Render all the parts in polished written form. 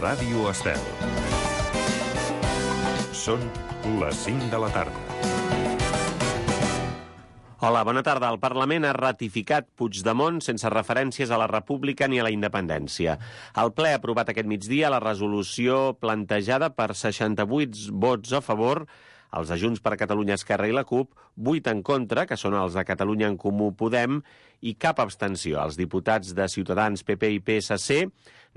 Ràdio Estel. Són les 5 de la tarda. Hola, bona tarda. El Parlament ha ratificat Puigdemont sense referències a la República ni a la independència. El ple ha aprovat aquest migdia la resolució plantejada per 68 vots a favor, els de Junts per Catalunya, Esquerra i la CUP, 8 en contra, que són els de Catalunya en Comú Podem, i cap abstenció. Els diputats de Ciutadans, PP i PSC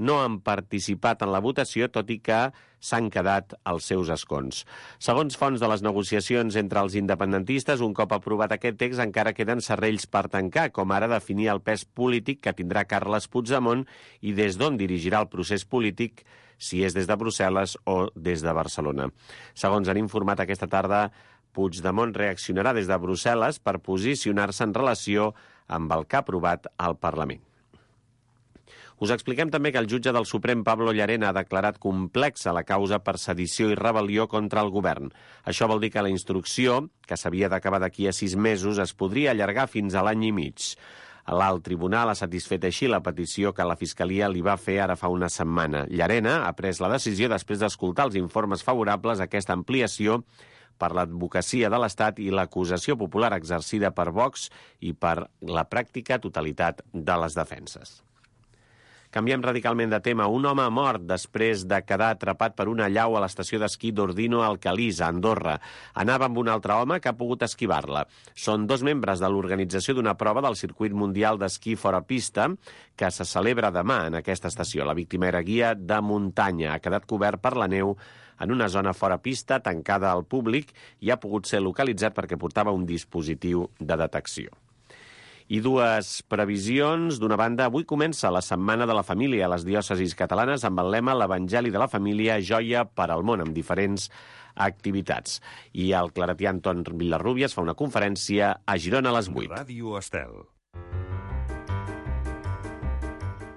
no han participat en la votació, tot i que s'han quedat als seus escons. Segons fonts de les negociacions entre els independentistes, un cop aprovat aquest text encara queden serrells per tancar, com ara definir el pes polític que tindrà Carles Puigdemont i des d'on dirigirà el procés polític, si és des de Brussel·les o des de Barcelona. Segons han informat aquesta tarda, Puigdemont reaccionarà des de Brussel·les per posicionar-se en relació amb el que ha aprovat al Parlament. Us expliquem també que el jutge del Suprem, Pablo Llarena, ha declarat complexa la causa per sedició i rebel·lió contra el govern. Això vol dir que la instrucció, que s'havia d'acabar d'aquí a 6 mesos, es podria allargar fins a l'any i mig. L'alt tribunal ha satisfet així la petició que la Fiscalia li va fer ara fa una setmana. Llarena ha pres la decisió després d'escoltar els informes favorables a aquesta ampliació per l'advocacia de l'Estat i l'acusació popular exercida per Vox i per la pràctica totalitat de les defenses. Canviem radicalment de tema. Un home ha mort després de quedar atrapat per una allau a l'estació d'esquí d'Ordino al Calís, a Andorra. Anava amb un altre home que ha pogut esquivar-la. Són 2 membres de l'organització d'una prova del circuit mundial d'esquí fora pista que se celebra demà en aquesta estació. La víctima era guia de muntanya. Ha quedat cobert per la neu en una zona fora pista, tancada al públic, i ha pogut ser localitzat perquè portava un dispositiu de detecció. I 2 previsions. D'una banda, avui comença la Setmana de la Família a les diòcesis catalanes amb el lema l'Evangeli de la Família, joia per al món, amb diferents activitats. I el claretià Anton Vilarrubias fa una conferència a Girona a les 8. Ràdio Estel.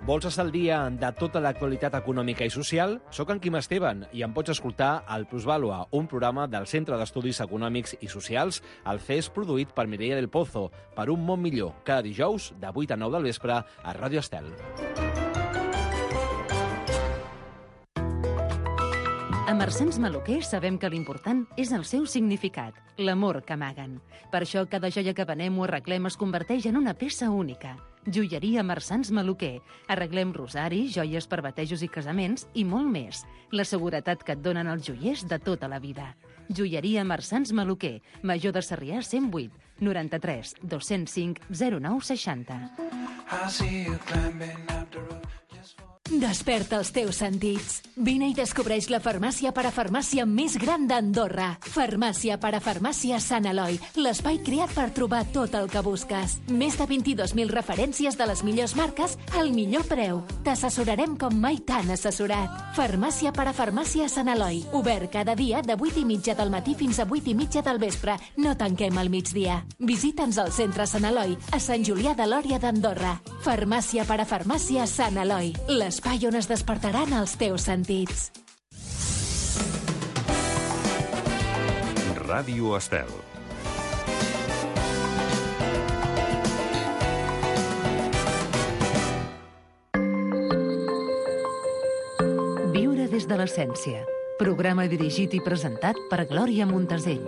Vols estar al dia de tota l'actualitat econòmica i social? Soc en Quim Esteban i em pots escoltar al Plusvàlua, un programa del Centre d'Estudis Econòmics i Socials, el CES, produït per Mireia del Pozo, per un món millor, cada dijous de 8 a 9 del vespre a Ràdio Estel. A Mercens Maluquer sabem que l'important és el seu significat, l'amor que amaguen. Per això cada joia que venem o arreglem es converteix en una peça única. Joieria Mercens Maluquer. Arreglem rosaris, joies per batejos i casaments i molt més. La seguretat que et donen els joiers de tota la vida. Joieria Mercens Maluquer. Major de Sarrià 108 93 205 09 60. Desperta els teus sentits. Vine i descobreix la farmàcia parafarmàcia més gran d'Andorra. Farmàcia parafarmàcia Sant Eloi, l'espai creat per trobar tot el que busques. Més de 22.000 referències de les millors marques al millor preu. T'assessorarem com mai t'han assessorat. Farmàcia parafarmàcia Sant Eloi, obert cada dia de 8:30 del matí fins a 8:30 del vespre. No tanquem al migdia. Visita'ns al centre Sant Eloi, a Sant Julià de Lòria d'Andorra. Farmàcia parafarmàcia Sant Eloi, l'espai on es despertaran els teus sentits. Ràdio Estel. Viure des de l'essència. Programa dirigit i presentat per Glòria Montesell.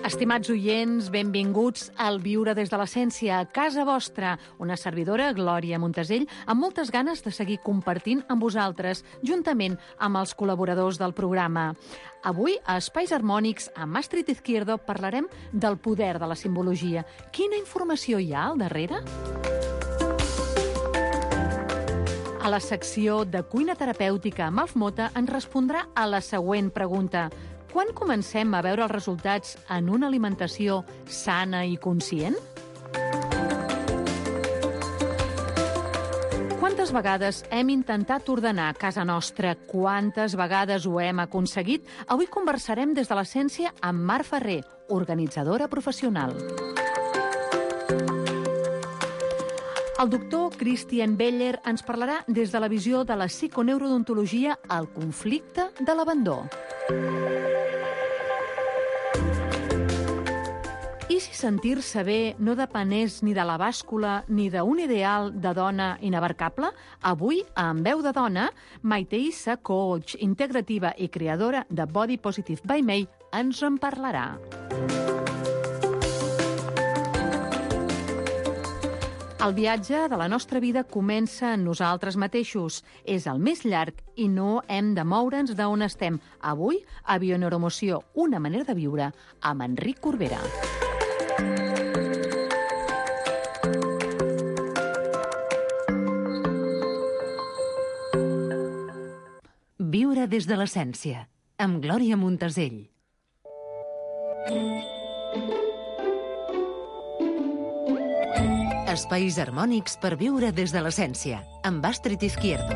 Estimats oients, benvinguts al Viure des de l'Essència, a casa vostra. Una servidora, Glòria Montesell, amb moltes ganes de seguir compartint amb vosaltres, juntament amb els col·laboradors del programa. Avui, a Espais Harmònics, amb Astrid Izquierdo, parlarem del poder de la simbologia. Quina informació hi ha al darrere? A la secció de cuina terapèutica, Malf Mota ens respondrà a la següent pregunta. Quan comencem a veure els resultats en una alimentació sana i conscient? Quantes vegades hem intentat ordenar casa nostra? Quantes vegades ho hem aconseguit? Avui conversarem des de l'essència amb Mar Ferrer, organitzadora professional. El doctor Christian Beller ens parlarà des de la visió de la psiconeurodontologia al conflicte de l'abandó. I I si sentir-se bé no depenés ni de la bàscula ni d'un ideal de dona inabarcable? Avui, en Veu de Dona, Maite Issa, coach integrativa i creadora de Body Positive by May, ens en parlarà. El viatge de la nostra vida comença en nosaltres mateixos. És el més llarg i no hem de moure'ns d'on estem. Avui, a Bioneuromoció, una manera de viure, amb Enric Corbera. Viure des de l'essència, amb Glòria Montesell. Espais harmònics per viure des de l'essència, amb Astrid Izquierdo.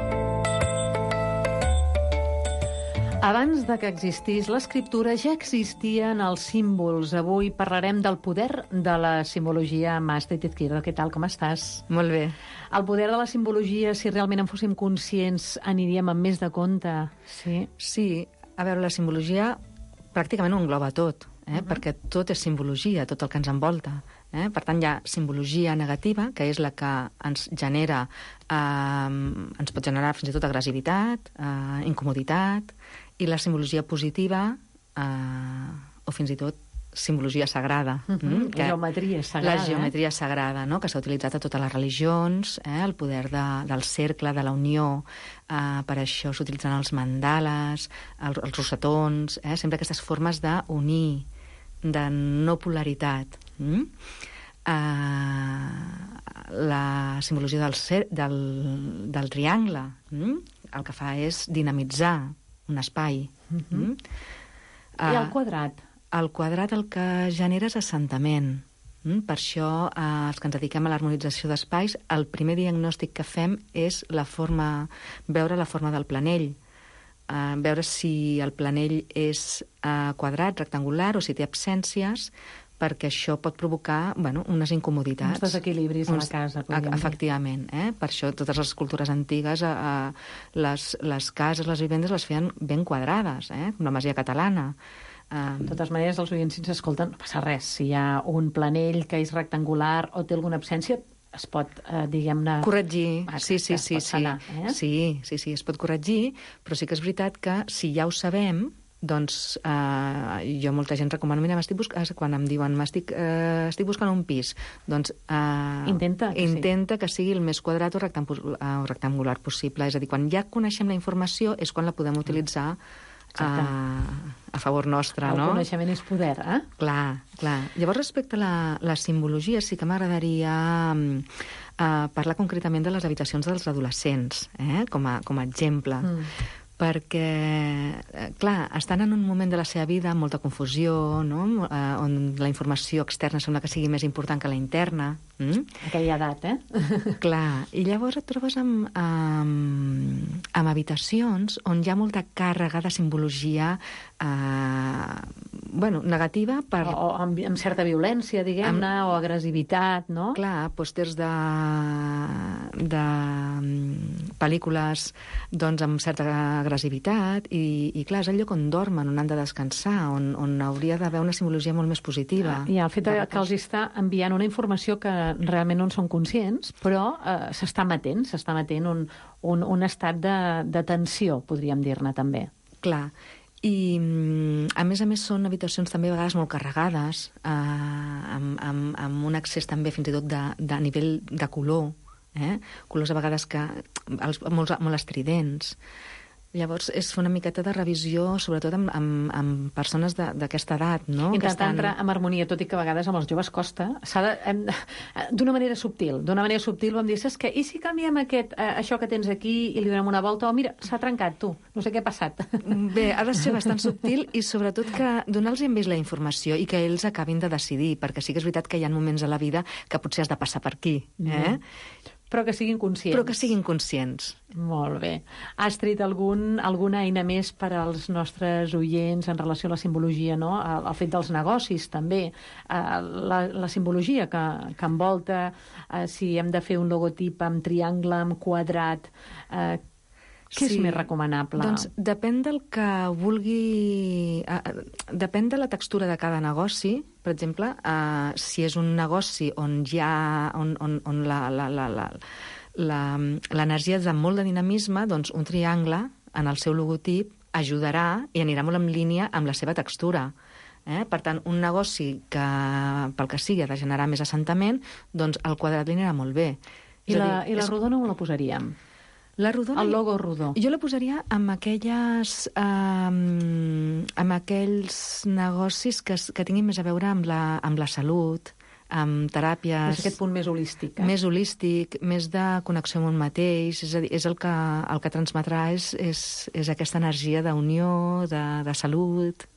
Abans de que existís l'escriptura, ja existien els símbols. Avui parlarem del poder de la simbologia amb Astrid Izquierdo. Què tal, com estàs? Molt bé. El poder de la simbologia, si realment en fóssim conscients, aniríem amb més de compte. Sí. Sí, a veure, la simbologia pràcticament ho engloba tot, perquè tot és simbologia, tot el que ens envolta. Per tant, hi ha simbologia negativa, que és la que ens genera, ens pot generar fins i tot agressivitat, incomoditat, i la simbologia positiva, o fins i tot simbologia sagrada. La geometria sagrada. La geometria sagrada, no? Que s'ha utilitzat a totes les religions, el poder del cercle, de la unió, per això s'utilitzen els mandales, els rosetons, sempre aquestes formes d'unir, de no polaritat. La simbologia del triangle, el que fa és dinamitzar un espai. I el quadrat? El quadrat el que genera és assentament. Per això, els que ens dediquem a l'harmonització d'espais, el primer diagnòstic que fem és veure la forma del planell. Veure si el planell és quadrat, rectangular, o si té absències, perquè això pot provocar unes incomoditats. Uns desequilibris a la casa. Efectivament. Per això totes les cultures antigues, les cases, les vivendes les feien ben quadrades, com la masia catalana. De totes maneres, els oients, si ens escolten, no passa res. Si hi ha un planell que és rectangular o té alguna absència, es pot, diguem-ne... Corregir, sí. Sanar, Sí, es pot corregir, però sí que és veritat que si ja ho sabem, doncs jo molta gent recomano, mira, quan em diuen estic buscant un pis, doncs intenta que sigui el més quadrat o rectangular possible. És a dir, quan ja coneixem la informació és quan la podem utilitzar a favor nostre, no? El coneixement és poder, Clar. Llavors, respecte a la simbologia, sí que m'agradaria parlar concretament de les habitacions dels adolescents, com a exemple. Perquè, clar, estan en un moment de la seva vida amb molta confusió, no? On la informació externa sembla que sigui més important que la interna. Aquella edat, Clar, i llavors et trobes amb habitacions on hi ha molta càrrega de simbologia negativa per... O amb certa violència, diguem-ne, o agressivitat, no? Clar, pòsters de pel·lícules doncs amb certa agressivitat i clar, és el lloc on dormen, on han de descansar, on hauria d'haver una simbologia molt més positiva. I el fet que els està enviant una informació que realment no en són conscients, però s'està emetent un estat de tensió, podríem dir-ne també. Clar. I, a més, són habitacions també a vegades molt carregades, amb un accés també fins i tot de nivell de color, colors a vegades molt estridents. Llavors, és fer una miqueta de revisió, sobretot amb persones d'aquesta edat, no? Intentar entrar en harmonia, tot i que a vegades amb els joves costa. D'una manera subtil. Vam dir, saps què? I si canviem això que tens aquí i li donem una volta? O mira, s'ha trencat, tu. No sé què ha passat. Bé, ha de ser bastant subtil i sobretot que donar-los amb ells la informació i que ells acabin de decidir, perquè sí que és veritat que hi ha moments a la vida que potser has de passar per aquí. Però que siguin conscients. Molt bé. Astrid, alguna eina més per als nostres oients en relació a la simbologia, no? El fet dels negocis, també. La simbologia que envolta, si hem de fer un logotip amb triangle, amb quadrat, Què és més recomanable? Doncs depèn del que vulgui... Depèn de la textura de cada negoci. Per exemple, si és un negoci on hi ha... on l'energia és de molt de dinamisme, doncs un triangle en el seu logotip ajudarà i anirà molt en línia amb la seva textura. Per tant, un negoci que, pel que sigui, ha de generar més assentament, doncs el quadrat li anirà molt bé. I la rodona on la posaríem? La rodona, el logo rodó. Jo la posaria amb aquells negocis que tinguin més a veure amb la salut, amb teràpies... És aquest punt més holístic. Més holístic, més de connexió amb un mateix, és a dir, és el que transmetrà és aquesta energia d'unió, de salut...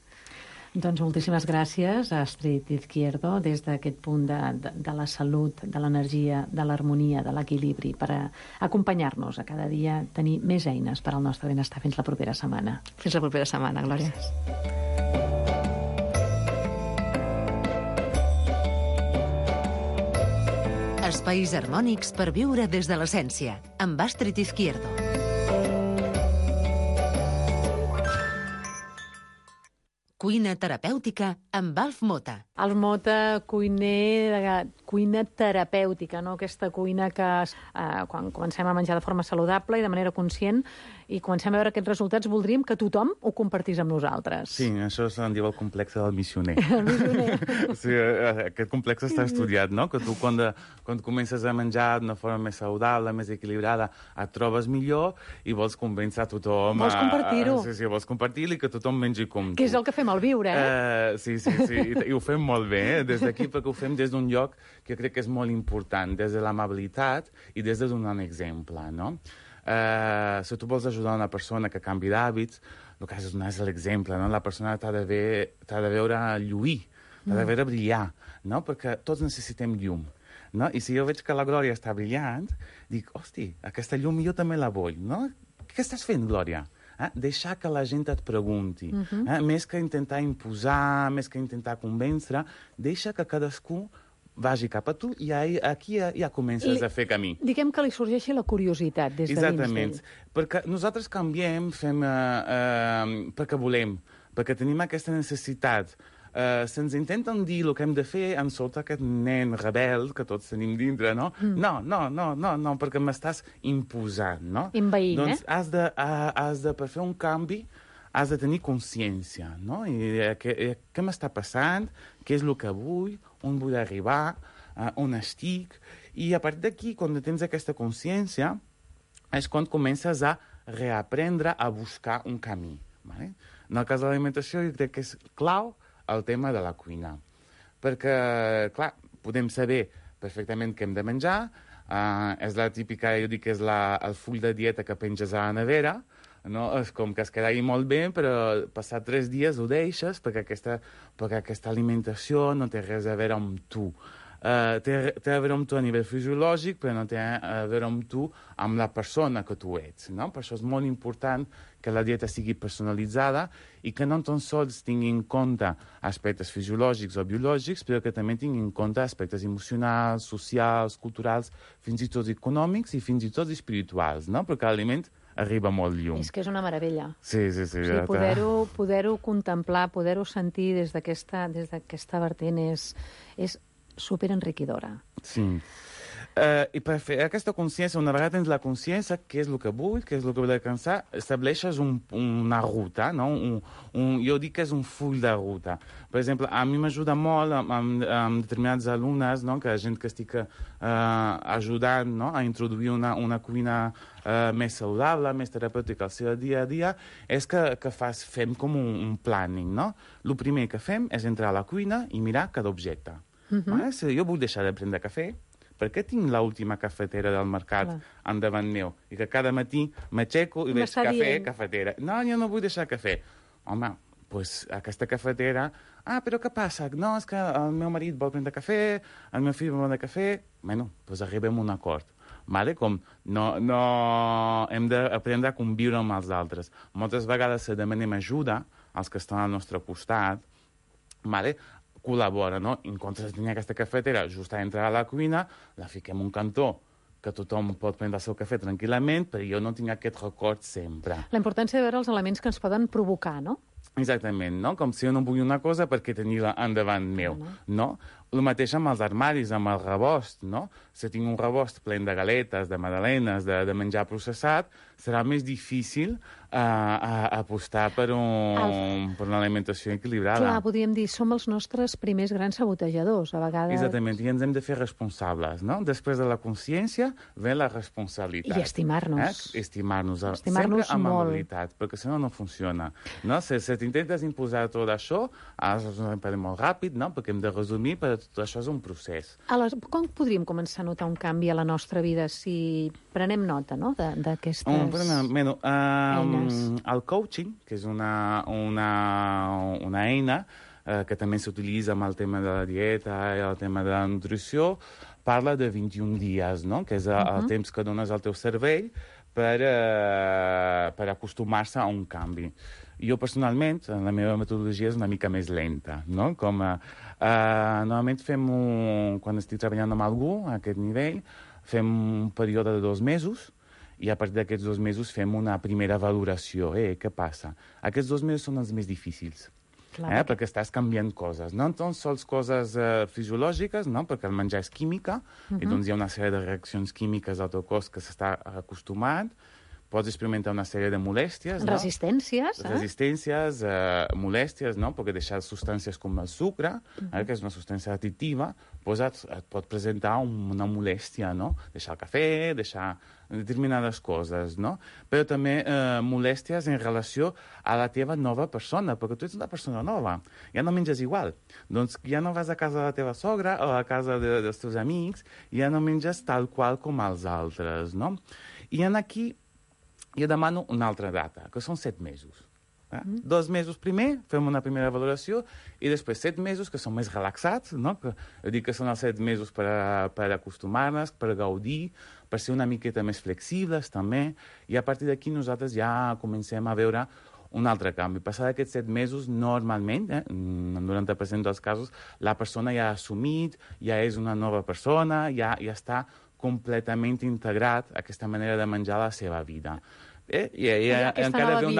Doncs moltíssimes gràcies a Astrid Izquierdo des d'aquest punt de la salut, de l'energia, de l'harmonia, de l'equilibri, per acompanyar-nos a cada dia, tenir més eines per al nostre benestar. Fins la propera setmana. Fins la propera setmana, Glòria. Espais harmònics per viure des de l'essència, amb Astrid Izquierdo. Cuina terapèutica amb Alf Mota. Alf Mota, cuiner de cuina terapèutica, no? Aquesta cuina que quan comencem a menjar de forma saludable i de manera conscient i comencem a veure aquests resultats, voldríem que tothom ho compartís amb nosaltres. Sí, això se'n diu el complex del missioner. El missioner. Sí, aquest complex està estudiat, no? Que tu quan comences a menjar d'una forma més saludable, més equilibrada, et trobes millor i vols convèncer a tothom. Vols compartir-ho. Sí, vols compartir-ho i que tothom mengi com tu. Que és el que fem al viure, Sí, i ho fem molt bé, des d'aquí, perquè ho fem des d'un lloc que crec que és molt important, des de l'amabilitat i des de donar un exemple, no? Si tu vols ajudar una persona que canvi d'hàbits, el que has de donar és l'exemple, no? La persona t'ha de veure lluir, t'ha de veure brillar, no? Perquè tots necessitem llum, no? I si jo veig que la Glòria està brillant, dic, hosti, aquesta llum jo també la vull, no? Què estàs fent, Glòria? Deixar que la gent et pregunti. Més que intentar imposar, més que intentar convèncer, deixa que cadascú vagi cap a tu i aquí ja comences a fer camí. Diguem que li sorgeixi la curiositat des de dins d'ell. Exactament, perquè nosaltres canviem, fem perquè volem, perquè tenim aquesta necessitat. Se'ns intenten dir el que hem de fer, ens solta aquest nen rebel que tots tenim dintre, no? No, perquè m'estàs imposant, no? Envaint, doncs has de, per fer un canvi, has de tenir consciència, no? I què m'està passant, què és el que vull, on vull arribar, on estic... I a partir d'aquí, quan tens aquesta consciència, és quan comences a reaprendre a buscar un camí. Vale? En el cas de l'alimentació, jo crec que és clau el tema de la cuina. Perquè, clar, podem saber perfectament què hem de menjar, és la típica, jo dic que és el full de dieta que penges a la nevera, no? És com que es queda molt bé, però passat 3 dies ho deixes perquè aquesta alimentació no té res a veure amb tu. Té a veure amb tu a nivell fisiològic, però no té a veure amb tu, amb la persona que tu ets, no? Per això és molt important que la dieta sigui personalitzada i que no tan sols tingui en compte aspectes fisiològics o biològics, però que també tingui en compte aspectes emocionals, socials, culturals, fins i tot econòmics i fins i tot espirituals, no? Perquè l'aliment arriba molt lluny. És que és una meravella. Sí. O sigui, poder-ho contemplar, poder-ho sentir des d'aquesta vertent és superenriquidora. Sí. I per fer aquesta consciència, una vegada tens la consciència, què és el que vull, què és el que vull alcançar, estableixes una ruta, no? Jo dic que és un full de ruta. Per exemple, a mi m'ajuda molt amb determinats alumnes, no? Que gent que estic ajudant, no? A introduir una cuina més saludable, més terapèutica al seu dia a dia, és que fem com un planning, no? El primer que fem és entrar a la cuina i mirar cada objecte. Si jo vull deixar de prendre cafè, per què tinc l'última cafetera del mercat endavant meu? I que cada matí m'aixeco i veig cafetera. No, jo no vull deixar cafè. Home, doncs aquesta cafetera... però què passa? No, és que el meu marit vol prendre cafè, el meu fill vol prendre cafè... Bueno, doncs arribem a un acord. Vale? Com no hem d'aprendre a conviure amb els altres. Moltes vegades si demanem ajuda als que estan al nostre costat, vale? Col·labora, no? En comptes de tenir aquesta cafetera just a entrar a la cuina, la fiquem un cantó que tothom pot prendre el seu cafè tranquil·lament, però jo no tinc aquest record sempre. La importància de veure els elements que ens poden provocar, no? Exactament, no? Com si jo no vull una cosa perquè tenir-la endavant meu, no? El mateix amb els armaris, amb el rebost, no? Si tinc un rebost ple de galetes, de magdalenes, de menjar processat, serà més difícil apostar per una alimentació equilibrada. Clar, podríem dir, som els nostres primers grans sabotejadors, a vegades. Exactament, i ens hem de fer responsables, no? Després de la consciència ve la responsabilitat. I estimar-nos. Estimar-nos sempre amb amabilitat, perquè si no, no funciona. No? Si t'intentes imposar tot això, és un imperi molt ràpid, no? Perquè hem de resumir, però tot això és un procés. Aleshores, com podríem començar a notar un canvi a la nostra vida si prenem nota, no?, d'aquestes eines? El coaching, que és una eina que també s'utilitza amb el tema de la dieta i el tema de la nutrició, parla de 21 dies, no? Que és el temps que dones al teu cervell per acostumar-se a un canvi. Jo, personalment, la meva metodologia és una mica més lenta, no? Normalment quan estic treballant amb algú a aquest nivell, fem un període de 2 mesos, i a partir d'aquests 2 mesos fem una primera valoració. Què passa? Aquests 2 mesos són els més difícils, perquè estàs canviant coses. No tan sols coses fisiològiques, no? Perquè el menjar és química, i doncs hi ha una sèrie de reaccions químiques al teu cos que s'està acostumant. Pots experimentar una sèrie de molèsties, no? Resistències, Resistències, molèsties, no? Perquè deixar substàncies com el sucre, que és una substància additiva, et pot presentar una molèstia, no? Deixar el cafè, deixar determinades coses, no? Però també molèsties en relació a la teva nova persona, perquè tu ets una persona nova, ja no menges igual. Doncs ja no vas a casa de la teva sogra o a casa dels teus amics, ja no menges tal qual com els altres, no? I aquí jo demano una altra data, que són 7 mesos. 2 mesos primer, fem una primera valoració, i després 7 mesos, que són més relaxats, no? Dic que són els 7 mesos per acostumar-nos, per gaudir, per ser una miqueta més flexibles, també, i a partir d'aquí nosaltres ja comencem a veure un altre canvi. Passar aquests 7 mesos, normalment, en 90% dels casos, la persona ja ha assumit, ja és una nova persona, ja està completament integrat aquesta manera de menjar a la seva vida. I encara ve un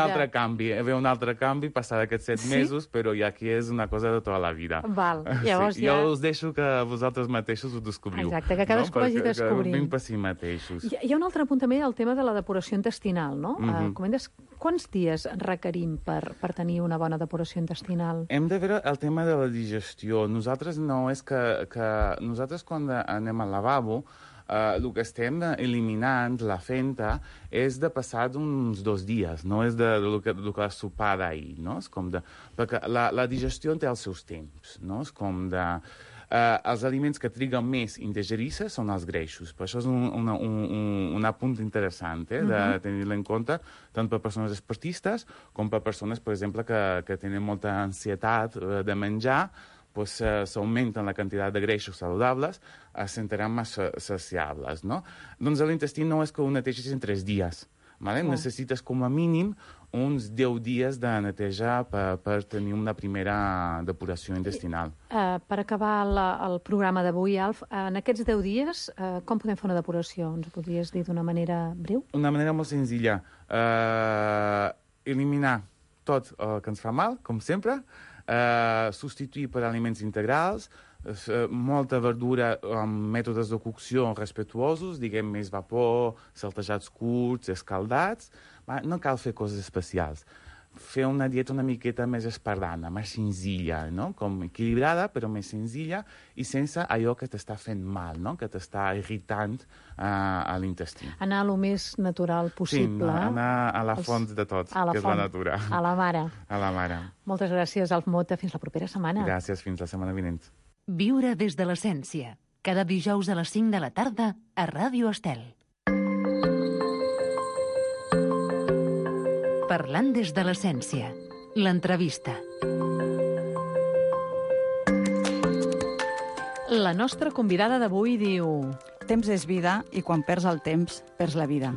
altre canvi passar aquests 7 mesos, però ja aquí és una cosa de tota la vida. Val, llavors jo us deixo que vosaltres mateixos ho descobriu. Exacte, que cadascú vagi descobrint. Vinc per si mateixos. Hi ha un altre punt també, el tema de la depuració intestinal, no? Comentes, quants dies requerim per tenir una bona depuració intestinal? Hem de veure el tema de la digestió. Nosaltres nosaltres quan anem al lavabo, el que estem eliminant, la fenta, és de passar uns 2 dies, no és del que has sopat d'ahir, no? Perquè la digestió té els seus temps, no? És com de... els aliments que triguen més a digerir-se són els greixos. Per això és un apunt interessant de tenir-lo en compte, tant per persones esportistes com per persones, per exemple, que tenen molta ansietat de menjar, s'augmenten la quantitat de greixos saludables, es sentiran més saciables, no? Doncs l'intestí no és que ho netegis en 3 dies. Necessites com a mínim uns 10 dies de netejar per tenir una primera depuració intestinal. Per acabar el programa d'avui, Alf, en aquests 10 dies, com podem fer una depuració? Ens ho podries dir d'una manera breu? Una manera molt senzilla. Eliminar tot el que ens fa mal, com sempre, substituir per aliments integrals, molta verdura amb mètodes de cocció respectuosos, diguem més vapor, saltejats curts, escaldats. No cal fer coses especials. Fer una dieta una miqueta més espartana, més senzilla, no? Com equilibrada, però més senzilla i sense allò que t'està fent mal, no? Que t'està irritant a l'intestí. Anar el més natural possible. Sí, anar a la font de tot, que és la natura. A la mare. A la mare. Moltes gràcies, Alf Mota. Fins la propera setmana. Gràcies, fins la setmana vinent. Viure des de l'essència. Cada dijous a les 5 de la tarda a Ràdio Estel. Parlant des de l'essència. L'entrevista. La nostra convidada d'avui diu... Temps és vida i quan perds el temps, perds la vida.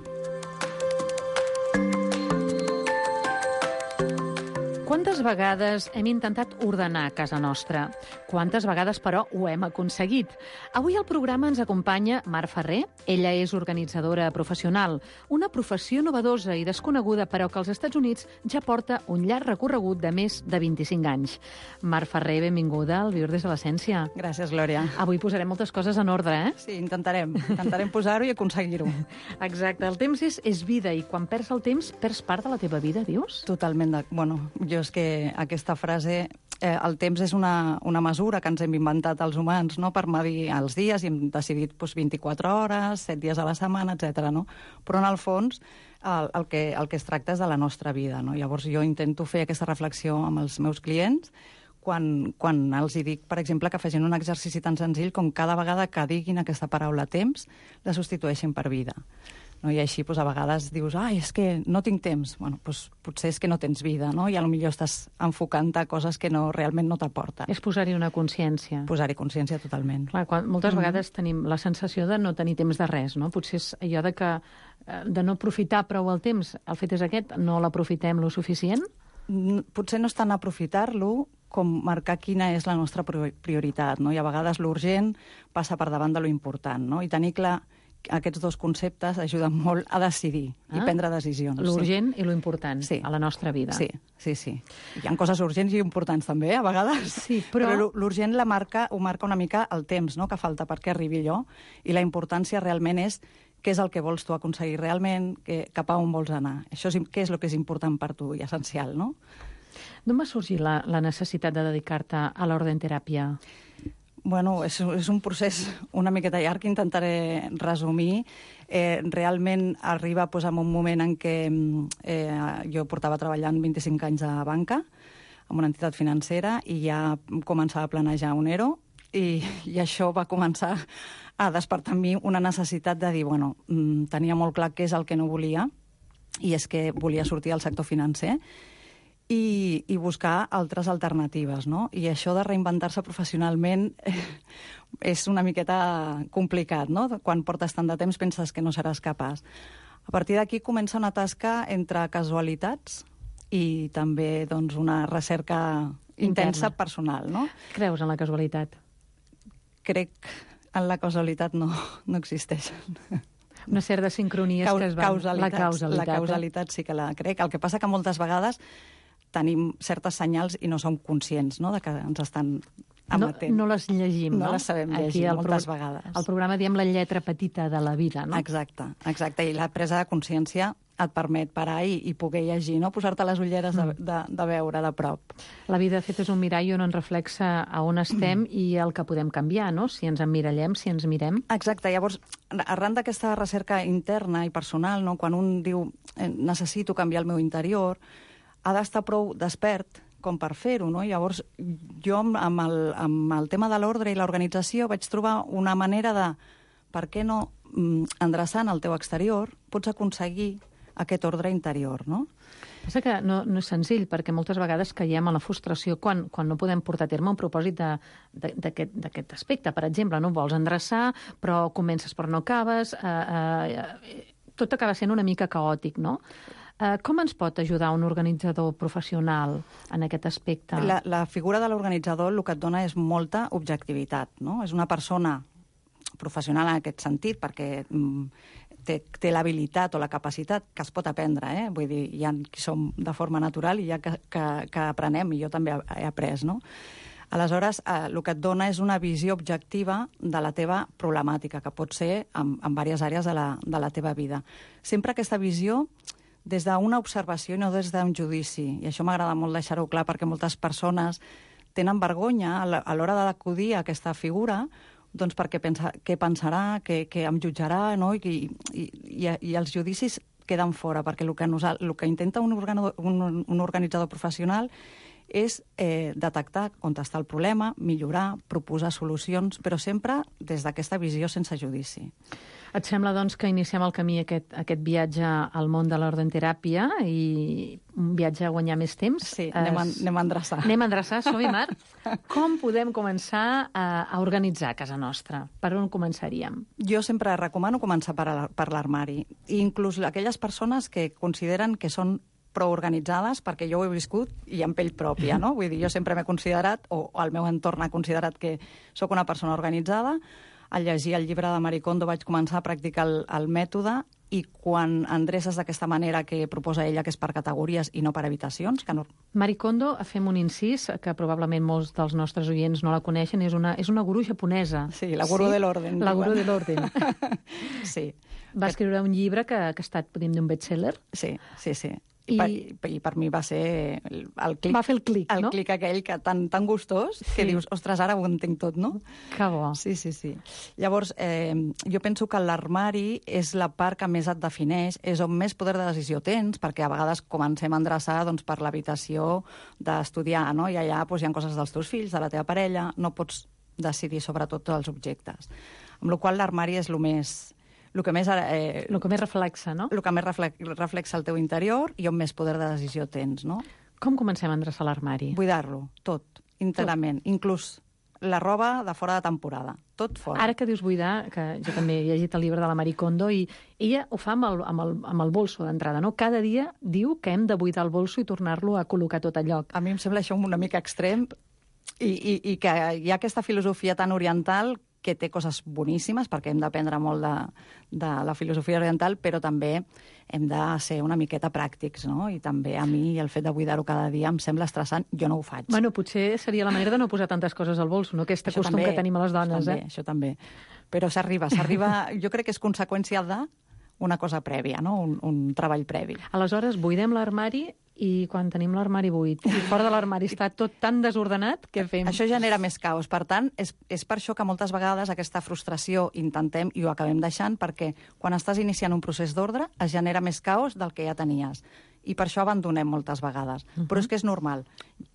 Quantes vegades hem intentat ordenar casa nostra? Quantes vegades, però, ho hem aconseguit? Avui al programa ens acompanya Mar Ferrer. Ella és organitzadora professional, una professió novedosa i desconeguda, però que als Estats Units ja porta un llarg recorregut de més de 25 anys. Mar Ferrer, benvinguda al Viure des de l'Essència. Gràcies, Glòria. Avui posarem moltes coses en ordre, eh? Sí, intentarem posar-ho i aconseguir-ho. Exacte, el temps és vida i quan perds el temps, perds part de la teva vida, dius? Totalment. Bueno, jo és que aquesta frase, el temps és una mesura que ens hem inventat els humans, no?, per medir els dies i hem decidit 24 hores, 7 dies a la setmana, etc. No? Però en el fons el que es tracta és de la nostra vida, no? Llavors jo intento fer aquesta reflexió amb els meus clients quan els dic, per exemple, que facin un exercici tan senzill com cada vegada que diguin aquesta paraula temps, la substitueixin per vida. No? I així, a vegades dius, és que no tinc temps. Bueno, potser és que no tens vida, no? I potser estàs enfocant a coses que realment no t'aporten. És posar-hi una consciència. Posar-hi consciència totalment. Clar, moltes vegades tenim la sensació de no tenir temps de res, no? Potser és allò de no aprofitar prou el temps. El fet és aquest, no l'aprofitem lo suficient? Potser no és tant aprofitar-lo com marcar quina és la nostra prioritat, no? I a vegades l'urgent passa per davant de lo important, no? I tenir clar aquests dos conceptes ajuden molt a decidir i prendre decisions. L'urgent i lo important a la nostra vida. Sí. Hi ha coses urgents i importants també, a vegades. Sí, però l'urgent ho marca una mica el temps, no?, que falta perquè arribi allò, i la importància realment és què és el que vols tu aconseguir realment, cap a on vols anar. Això què és el que és important per tu i essencial, no? D'on va sorgir la necessitat de dedicar-te a l'ordenteràpia? Bueno, és un procés una miqueta llarg que intentaré resumir. Realment arriba en un moment en què jo portava treballant 25 anys a banca, en una entitat financera, i ja començava a planejar un ERO, i això va començar a despertar en mi una necessitat de dir, tenia molt clar què és el que no volia, i és que volia sortir del sector financer, i buscar altres alternatives, no? I això de reinventar-se professionalment és una miqueta complicat, no? Quan portes tant de temps penses que no seràs capaç. A partir d'aquí comença una tasca entre casualitats i també una recerca intensa personal, no? Creus en la casualitat? Crec en la casualitat no existeix. Una sèrie de sincronies que es van... La causalitat sí que la crec. El que passa que moltes vegades tenim certes senyals i no som conscients, no?, de que ens estan emetent. No les llegim, no? No les sabem llegir moltes vegades. Al programa diem la lletra petita de la vida, no? Exacte. I la presa de consciència et permet parar i poder llegir, no?, posar-te les ulleres de veure de prop. La vida, de fet, és un mirall on ens reflexa a on estem i el que podem canviar, no?, si ens emmirallem, si ens mirem. Exacte. Llavors, arran d'aquesta recerca interna i personal, no?, quan un diu necessito canviar el meu interior, ha d'estar prou despert com per fer-ho, no? Llavors, jo amb el tema de l'ordre i l'organització vaig trobar una manera de, per què no, endreçant el teu exterior, pots aconseguir aquest ordre interior, no? Passa que no és senzill, perquè moltes vegades caiem a la frustració quan no podem portar a terme un propòsit d'aquest aspecte. Per exemple, no vols endreçar, però comences però no acabes, tot acaba sent una mica caòtic, no? Com ens pot ajudar un organitzador professional en aquest aspecte? La figura de l'organitzador el que et dona és molta objectivitat, no? És una persona professional en aquest sentit, perquè té l'habilitat o la capacitat que es pot aprendre, Vull dir, hi ha qui som de forma natural i hi ha que aprenem, i jo també he après, no? Aleshores, el que et dona és una visió objectiva de la teva problemàtica, que pot ser en diverses àrees de la teva vida. Sempre aquesta visió des d'una observació i no des d'un judici. I això m'agrada molt deixar-ho clar, perquè moltes persones tenen vergonya a l'hora d'acudir a aquesta figura, doncs perquè què pensarà, què em jutjarà, no? I els judicis queden fora, perquè el que intenta un organitzador professional és detectar on està el problema, millorar, proposar solucions, però sempre des d'aquesta visió sense judici. Et sembla, doncs, que iniciem el camí, aquest viatge al món de l'ordenteràpia i un viatge a guanyar més temps? Sí, anem a endreçar. Anem a endreçar, som-hi, Mar? Com podem començar a organitzar casa nostra? Per on començaríem? Jo sempre recomano començar per l'armari. I inclús aquelles persones que consideren que són prou organitzades, perquè jo ho he viscut i en pell pròpia, no? Vull dir, jo sempre m'he considerat, o el meu entorn ha considerat que sóc una persona organitzada. Al llegir el llibre de Marie Kondo vaig començar a practicar el mètode, i quan endreces d'aquesta manera que proposa ella, que és per categories i no per habitacions... Que no... Marie Kondo, fem un incís, que probablement molts dels nostres oients no la coneixen, és una gurú japonesa. Sí, la gurú de l'orden. La gurú de l'orden. Sí. Va escriure un llibre que ha estat, podríem dir, un best-seller. Sí. I per mi va ser el clic. Va fer el clic, no? El clic aquell que tan gustós, que dius, ostres, ara ho entenc tot, no? Que bo. Sí. Llavors, jo penso que l'armari és la part que més et defineix, és on més poder de decisió tens, perquè a vegades comencem a endreçar per l'habitació d'estudiar, no? I allà hi ha coses dels teus fills, de la teva parella, no pots decidir sobre tots els objectes. Amb la qual cosa l'armari és el que més reflexa, no? El que més reflexa el teu interior i on més poder de decisió tens, no? Com comencem a endreçar l'armari? Buidar-lo, tot, íntegrament. Inclús la roba de fora de temporada, tot fora. Ara que dius buidar, que jo també he llegit el llibre de la Marie Kondo, i ella ho fa amb el bolso d'entrada, no? Cada dia diu que hem de buidar el bolso i tornar-lo a col·locar tot a lloc. A mi em sembla això una mica extrem, i que hi ha aquesta filosofia tan oriental que té coses boníssimes, perquè hem d'aprendre molt de la filosofia oriental, però també hem de ser una miqueta pràctics, no? I també a mi el fet de buidar-ho cada dia em sembla estressant. Jo no ho faig. Bueno, potser seria la manera de no posar tantes coses al bolso, no? Aquest costum que tenim a les dones, Això també. Però s'arriba. Jo crec que és conseqüència d'una cosa prèvia, no? Un treball previ. Aleshores, buidem l'armari, i quan tenim l'armari buit i fora de l'armari està tot tan desordenat, què fem? Això genera més caos. Per tant, és per això que moltes vegades aquesta frustració intentem i ho acabem deixant, perquè quan estàs iniciant un procés d'ordre es genera més caos del que ja tenies. I per això abandonem moltes vegades. Però és que és normal.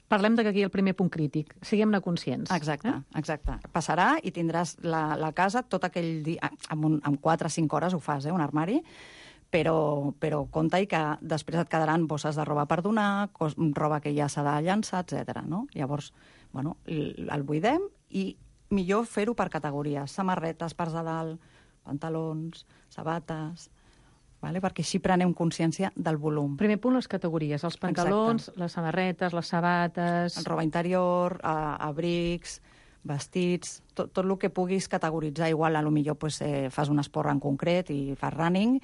Parlem de que aquí hi ha el primer punt crític. Siguem-ne conscients. Exacte. Passarà i tindràs la casa tot aquell dia... En 4 o 5 hores ho fas, un armari, però compta-hi que després et quedaran bosses de roba per donar, roba que ja s'ha de llançar, etc. No? Llavors, el buidem i millor fer-ho per categories. Samarretes, parts de dalt, pantalons, sabates... perquè així prenem consciència del volum. Primer punt, les categories. Els pantalons, les samarretes, les sabates... Roba interior, abrics, vestits... Tot el que puguis categoritzar. Igual, potser fas un esport en concret i fas running,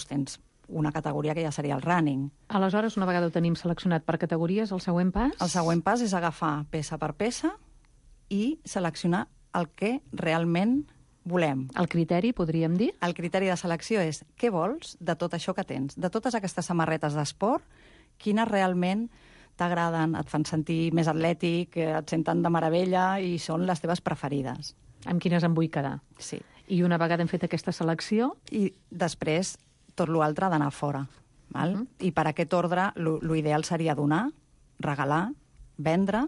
tens una categoria que ja seria el running. Aleshores, una vegada ho tenim seleccionat per categories, el següent pas? El següent pas és agafar peça per peça i seleccionar el que realment volem. El criteri, podríem dir? El criteri de selecció és què vols de tot això que tens. De totes aquestes samarretes d'esport, quines realment t'agraden, et fan sentir més atlètic, et senten de meravella i són les teves preferides. Amb quines em vull quedar. Sí. I una vegada hem fet aquesta selecció... I després tot l'altre ha d'anar fora. Val? I per aquest ordre, l'ideal seria donar, regalar, vendre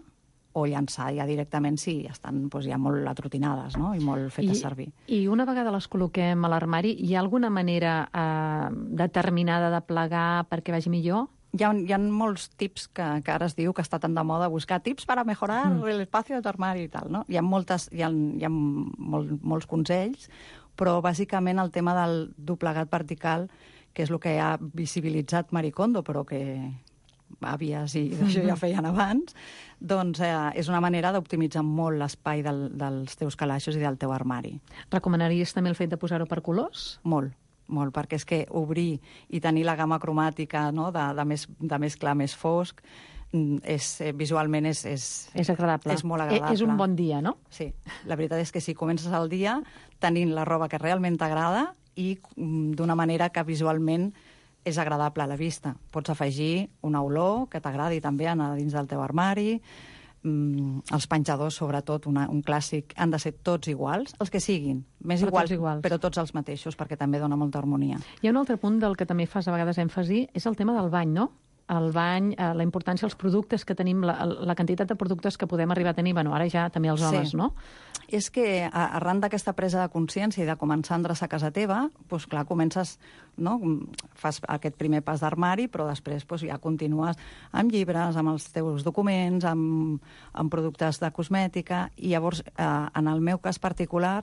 o llançar ja directament si estan ja molt atrotinades, no? I molt fetes servir. I una vegada les col·loquem a l'armari, hi ha alguna manera determinada de plegar perquè vagi millor? Hi ha molts tips que ara es diu que està tan de moda buscar tips per a mejorar l'espai de tu armari i tal, no? Hi ha molts consells, però bàsicament el tema del doblegat vertical, que és el que ha visibilitzat Marie Kondo, però que àvies i d'això ja feien abans, doncs és una manera d'optimitzar molt l'espai dels teus calaixos i del teu armari. Recomanaries també el fet de posar-ho per colors? Molt, perquè és que obrir i tenir la gamma cromàtica, no, de més clar, més fosc, visualment és agradable. És molt agradable. És un bon dia, no? Sí, la veritat és que sí, comences el dia tenint la roba que realment t'agrada i d'una manera que visualment és agradable a la vista. Pots afegir una olor que t'agradi també anar dins del teu armari. Els penjadors, sobretot, un clàssic, han de ser tots iguals, els que siguin, més iguals, però tots els mateixos, perquè també dona molta harmonia. Hi ha un altre punt del que també fas a vegades èmfasi, és el tema del bany, no? El bany, la importància dels productes que tenim, la quantitat de productes que podem arribar a tenir, bueno, ara ja també els homes, sí. No? És que arran d'aquesta presa de consciència i de començar a endreçar casa teva, doncs clar, comences, no? Fas aquest primer pas d'armari, però després ja continues amb llibres, amb els teus documents, amb productes de cosmètica, i llavors, en el meu cas particular,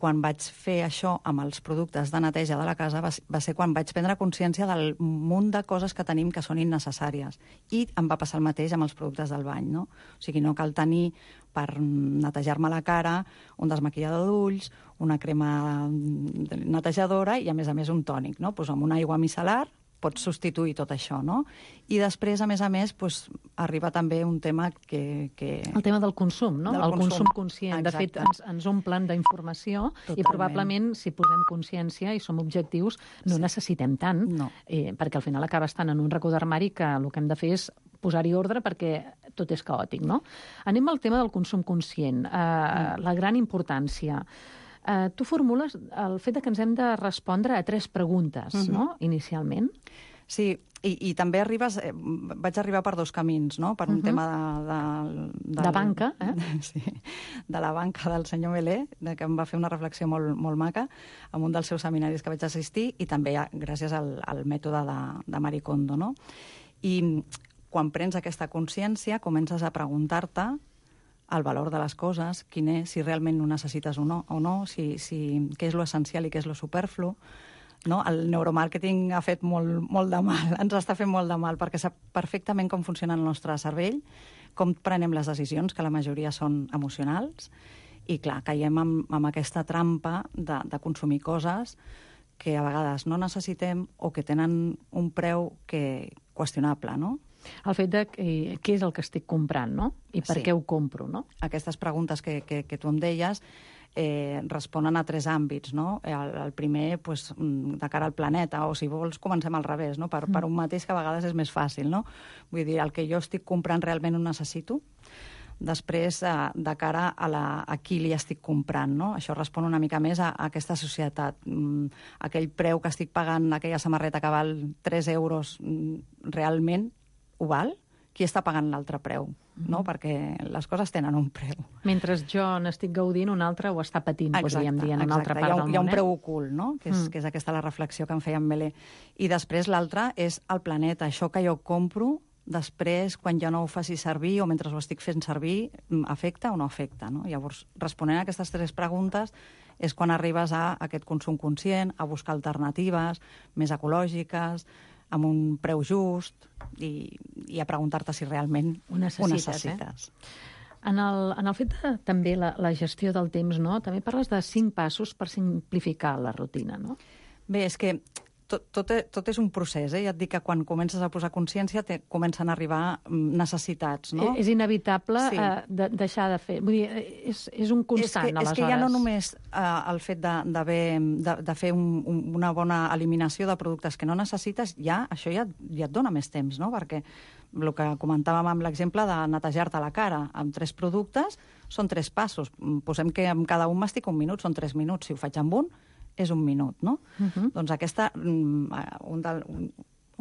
quan vaig fer això amb els productes de neteja de la casa va ser quan vaig prendre consciència del munt de coses que tenim que són innecessàries. I em va passar el mateix amb els productes del bany, no? O sigui, no cal tenir per netejar-me la cara un desmaquillador d'ulls, una crema netejadora i, a més, un tònic, no? Doncs amb una aigua micel·lar pots substituir tot això, no? I després, a més, arriba també un tema que... El tema del consum, no? El consum conscient. Exacte. De fet, ens omplen d'informació i probablement, si posem consciència i som objectius, no necessitem tant, perquè al final acaba estant en un racó d'armari que el que hem de fer és posar-hi ordre perquè tot és caòtic, no? Anem al tema del consum conscient, la gran importància. Tu formules el fet que ens hem de respondre a 3 preguntes, no?, inicialment. Sí, i també vaig arribar per 2 camins, no?, per un tema de banca, Sí, de la banca del senyor Melé, que em va fer una reflexió molt maca en un dels seus seminaris que vaig assistir, i també gràcies al mètode de Marie Kondo, no? I quan prens aquesta consciència, comences a preguntar-te el valor de les coses, quin és, si realment ho necessites o no, què és lo essencial i què és lo superflu. No? El neuromàrqueting ha fet molt de mal, ens està fent molt de mal, perquè sap perfectament com funciona el nostre cervell, com prenem les decisions, que la majoria són emocionals, i clar, caiem amb aquesta trampa de consumir coses que a vegades no necessitem o que tenen un preu qüestionable, no? El fet de què és el que estic comprant, no? I per què ho compro, no? Aquestes preguntes que tu em deies responen a 3 àmbits, no? El primer, de cara al planeta, o si vols comencem al revés, no? Per un mateix que a vegades és més fàcil, no? Vull dir, el que jo estic comprant realment ho necessito. Després, de cara a qui li estic comprant, no? Això respon una mica més a aquesta societat. Aquell preu que estic pagant, aquella samarreta que val 3 euros, realment ho val? Qui està pagant l'altre preu? No? Perquè les coses tenen un preu. Mentre jo n'estic gaudint, un altre ho està patint, podríem dir, en una altra part del món. Hi ha un preu ocult, no? Que és aquesta la reflexió que em feia en Melé. I després l'altre és el planeta. Això que jo compro, després, quan jo no ho faci servir o mentre ho estic fent servir, afecta o no afecta, no? Llavors, responent a aquestes 3 preguntes és quan arribes a aquest consum conscient, a buscar alternatives més ecològiques, amb un preu just, i a preguntar-te si realment ho necessites. En el fet de també la gestió del temps, no? També parles de 5 passos per simplificar la rutina, no? Bé, és que tot és un procés, Ja et dic que quan comences a posar consciència comencen a arribar necessitats, no? És inevitable deixar de fer. Vull dir, és un constant, aleshores. És que ja no només el fet de fer una bona eliminació de productes que no necessites, això ja et dona més temps, no? Perquè el que comentàvem amb l'exemple de netejar-te la cara amb 3 productes són 3 passos. Posem que amb cada un m'estic un minut, són 3 minuts. Si ho faig amb un, és un minut, no? Doncs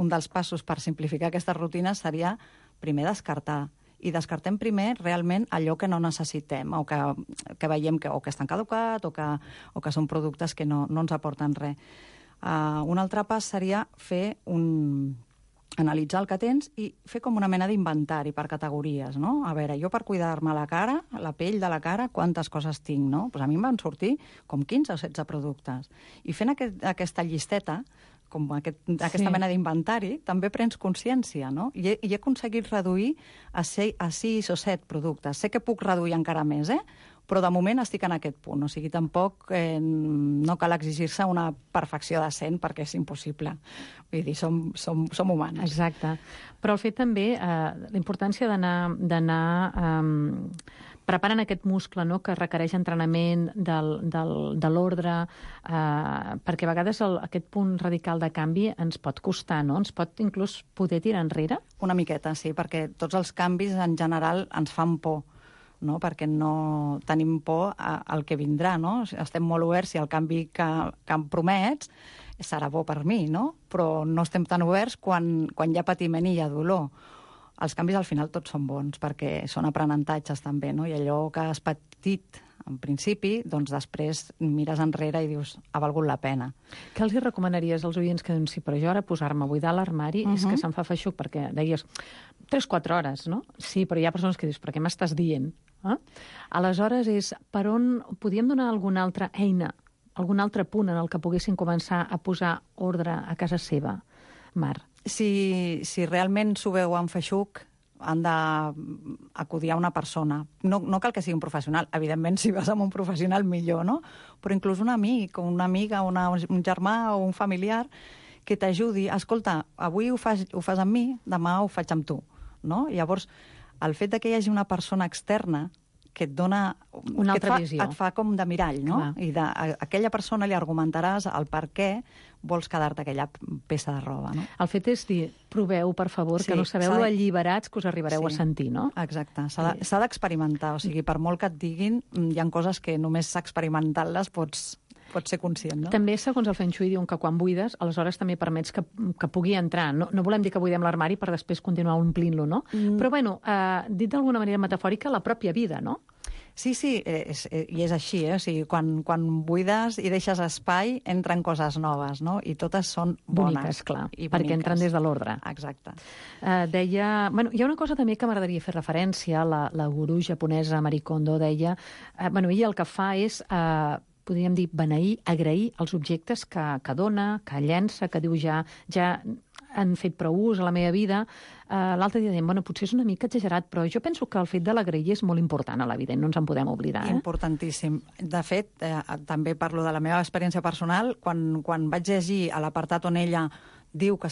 un dels passos per simplificar aquestes rutines seria primer descartar. I descartem primer realment allò que no necessitem o que veiem que estan caducat o que són productes que no ens aporten res. Un altre pas seria analitzar el que tens i fer com una mena d'inventari per categories, no? A veure, jo per cuidar-me la cara, la pell de la cara, quantes coses tinc, no? Doncs a mi em van sortir com 15 o 16 productes. I fent aquesta llisteta, com aquesta mena d'inventari, també prens consciència, no? I he aconseguit reduir a 6 o 7 productes. Sé que puc reduir encara més, però de moment estic en aquest punt. O sigui, tampoc no cal exigir-se una perfecció de 100 perquè és impossible. Vull dir, som humans. Exacte. Però el fet també, la importància d'anar preparant aquest muscle, no?, que requereix entrenament de l'ordre, perquè a vegades aquest punt radical de canvi ens pot costar, no? Ens pot inclús poder tirar enrere? Una miqueta, sí, perquè tots els canvis en general ens fan por, no? Perquè no tenim por al que vindrà, no? Estem molt oberts si el canvi que em promets serà bo per mi, no? Però no estem tan oberts quan hi ha patiment i hi ha dolor. els canvis al final tots són bons, perquè són aprenentatges també, no? I allò que has patit en principi, doncs després mires enrere i dius, ha valgut la pena. Què els recomanaries als oients que diuen, sí, però jo ara posar-me a buidar l'armari és que se'm fa feixuc, perquè deies 3-4 hores, no? Sí, però hi ha persones que dius, però què m'estàs dient? Aleshores, és per on podíem donar alguna altra eina, algun altre punt en el que poguessin començar a posar ordre a casa seva, Mar? Si realment s'ho veu en feixuc, han d'acudir a una persona. No cal que sigui un professional. Evidentment, si vas amb un professional, millor, no? Però inclús un amic, o una amiga, un germà o un familiar que t'ajudi. Escolta, avui ho fas amb mi, demà ho faig amb tu, no? Llavors, el fet que hi hagi una persona externa que et dona... Una altra visió. Et fa com de mirall, no? Clar. I a aquella persona li argumentaràs el per què vols quedar-te aquella peça de roba, no? El fet és dir, proveu, per favor, que no sabeu lo alliberats que us arribareu a sentir, no? Exacte. S'ha d'experimentar. O sigui, per molt que et diguin, hi ha coses que només experimentant-les pots ser conscient, no? També, segons el Feng Shui, diuen que quan buides, aleshores també permets que pugui entrar. No volem dir que buidem l'armari per després continuar omplint-lo, no? Però, bueno, dit d'alguna manera metafòrica, la pròpia vida, no? Sí, i és així, O sigui, quan buides i deixes espai, entren coses noves, no? I totes són bones. Boniques, clar, perquè entren des de l'ordre. Exacte. Deia... Bueno, hi ha una cosa també que m'agradaria fer referència, la gurú japonesa Marie Kondo deia... ella el que fa és... podríem dir, beneir, agrair els objectes que dona, que llença, que diu ja han fet prou ús a la meva vida. L'altre dia dèiem, potser és una mica exagerat, però jo penso que el fet de l'agrair és molt important a la vida i no ens en podem oblidar. Importantíssim. De fet, també parlo de la meva experiència personal. Quan vaig llegir a l'apartat on ella diu que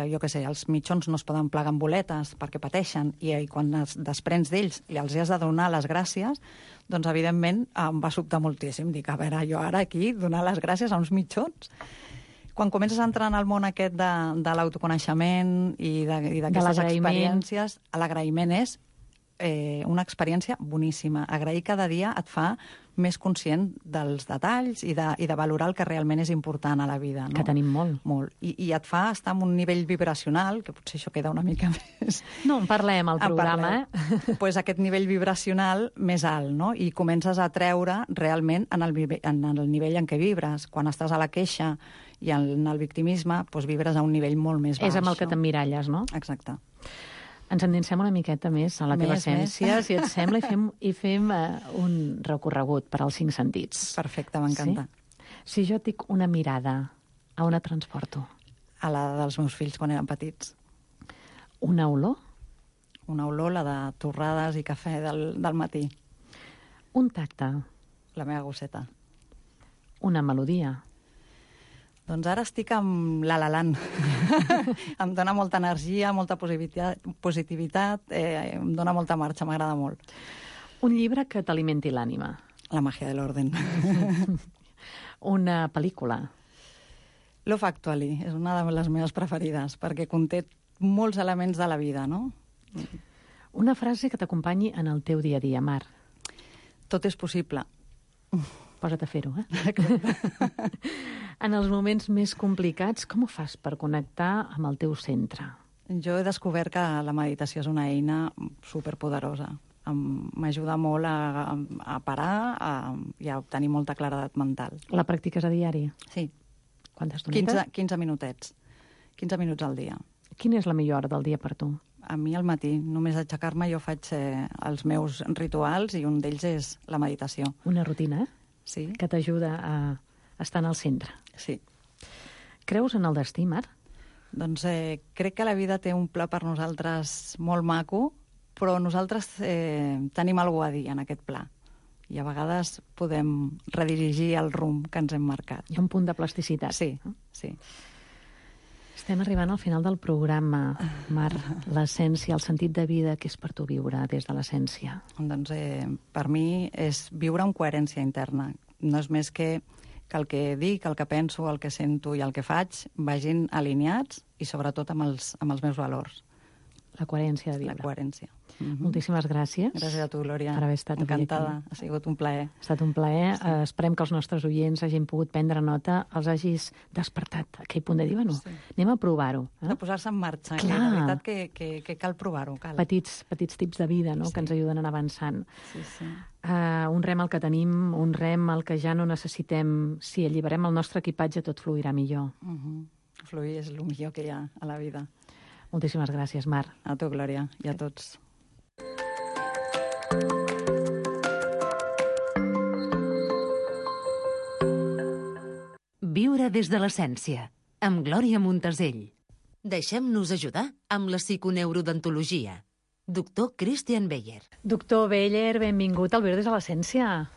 jo què sé, els mitjons no es poden plegar amb boletes perquè pateixen i quan es desprens d'ells i els has de donar les gràcies, doncs evidentment em va sobtar moltíssim. Dic, a veure, jo ara aquí donar les gràcies a uns mitjons? Quan comences a entrar en el món aquest de l'autoconeixement i d'aquestes experiències, l'agraïment és una experiència boníssima. Agrair cada dia et fa més conscient dels detalls i de valorar el que realment és important a la vida. No? Que tenim molt. Molt. I et fa estar en un nivell vibracional, que potser això queda una mica més... No, en parlem al programa, Pues aquest nivell vibracional més alt, no? I comences a treure realment en el nivell en què vibres. Quan estàs a la queixa i en el victimisme, doncs vibres a un nivell molt més baix. És amb el que t'emmiralles, no? Exacte. Ens endinsem una miqueta més a la teva essència, si et sembla, i fem un recorregut per als 5 sentits. Perfecte, m'encanta. Sí? Si jo et dic una mirada, a on et transporto? A la dels meus fills quan eren petits. Una olor? Una olor, la de torrades i cafè del matí. Un tacte? La meva gosseta. Una melodia? Doncs ara estic amb La La Land. Em dona molta energia, molta positivitat, em dona molta marxa, m'agrada molt. Un llibre que t'alimenti l'ànima? La màgia de l'orden. Una pel·lícula? Love Actually, és una de les meves preferides, perquè conté molts elements de la vida, no? Una frase que t'acompanyi en el teu dia a dia, Mar? Tot és possible. Posa't a fer-ho, En els moments més complicats, com ho fas per connectar amb el teu centre? Jo he descobert que la meditació és una eina superpoderosa. M'ajuda molt a parar i a obtenir molta claredat mental. La practiques a diari? Sí. Quantes estonetes? 15 minutets. 15 minuts al dia. Quina és la millor hora del dia per tu? A mi al matí. Només aixecar-me jo faig els meus rituals i un d'ells és la meditació. Una rutina, Sí. Que t'ajuda a estar en el centre. Sí. Creus en el destí, Mar? Doncs crec que la vida té un pla per nosaltres molt maco, però nosaltres tenim alguna a dir en aquest pla. I a vegades podem redirigir el rumb que ens hem marcat. Hi ha un punt de plasticitat. Sí, sí. Estem arribant al final del programa, Mar. L'essència, el sentit de vida, que és per tu viure des de l'essència? Doncs per mi és viure amb coherència interna. No és més que el que dic, el que penso, el que sento i el que faig vagin alineats i sobretot amb els meus valors. La coherència de viure. La coherència. Moltíssimes gràcies. Gràcies a tu, Glòria. Per haver estat encantada. Ha sigut un plaer. Ha estat un plaer. Esperem que els nostres oients hagin pogut prendre nota, els hagis despertat a aquell punt de dir, bueno, anem a provar-ho. De posar-se en marxa. Clar. La veritat que cal provar-ho. Petits tips de vida, no?, que ens ajuden a anar avançant. Un rem al que tenim, un rem al que ja no necessitem. Si alliberem el nostre equipatge, tot fluirà millor. Fluir és el millor que hi ha a la vida. Moltíssimes gràcies, Mar. A tu, Glòria, i a tots. Viure des de l'essència, amb Glòria Montesell. Deixem-nos ajudar amb la psiconeurodontologia. Doctor Christian Beyer. Doctor Beyer, benvingut al Viure des de l'essència.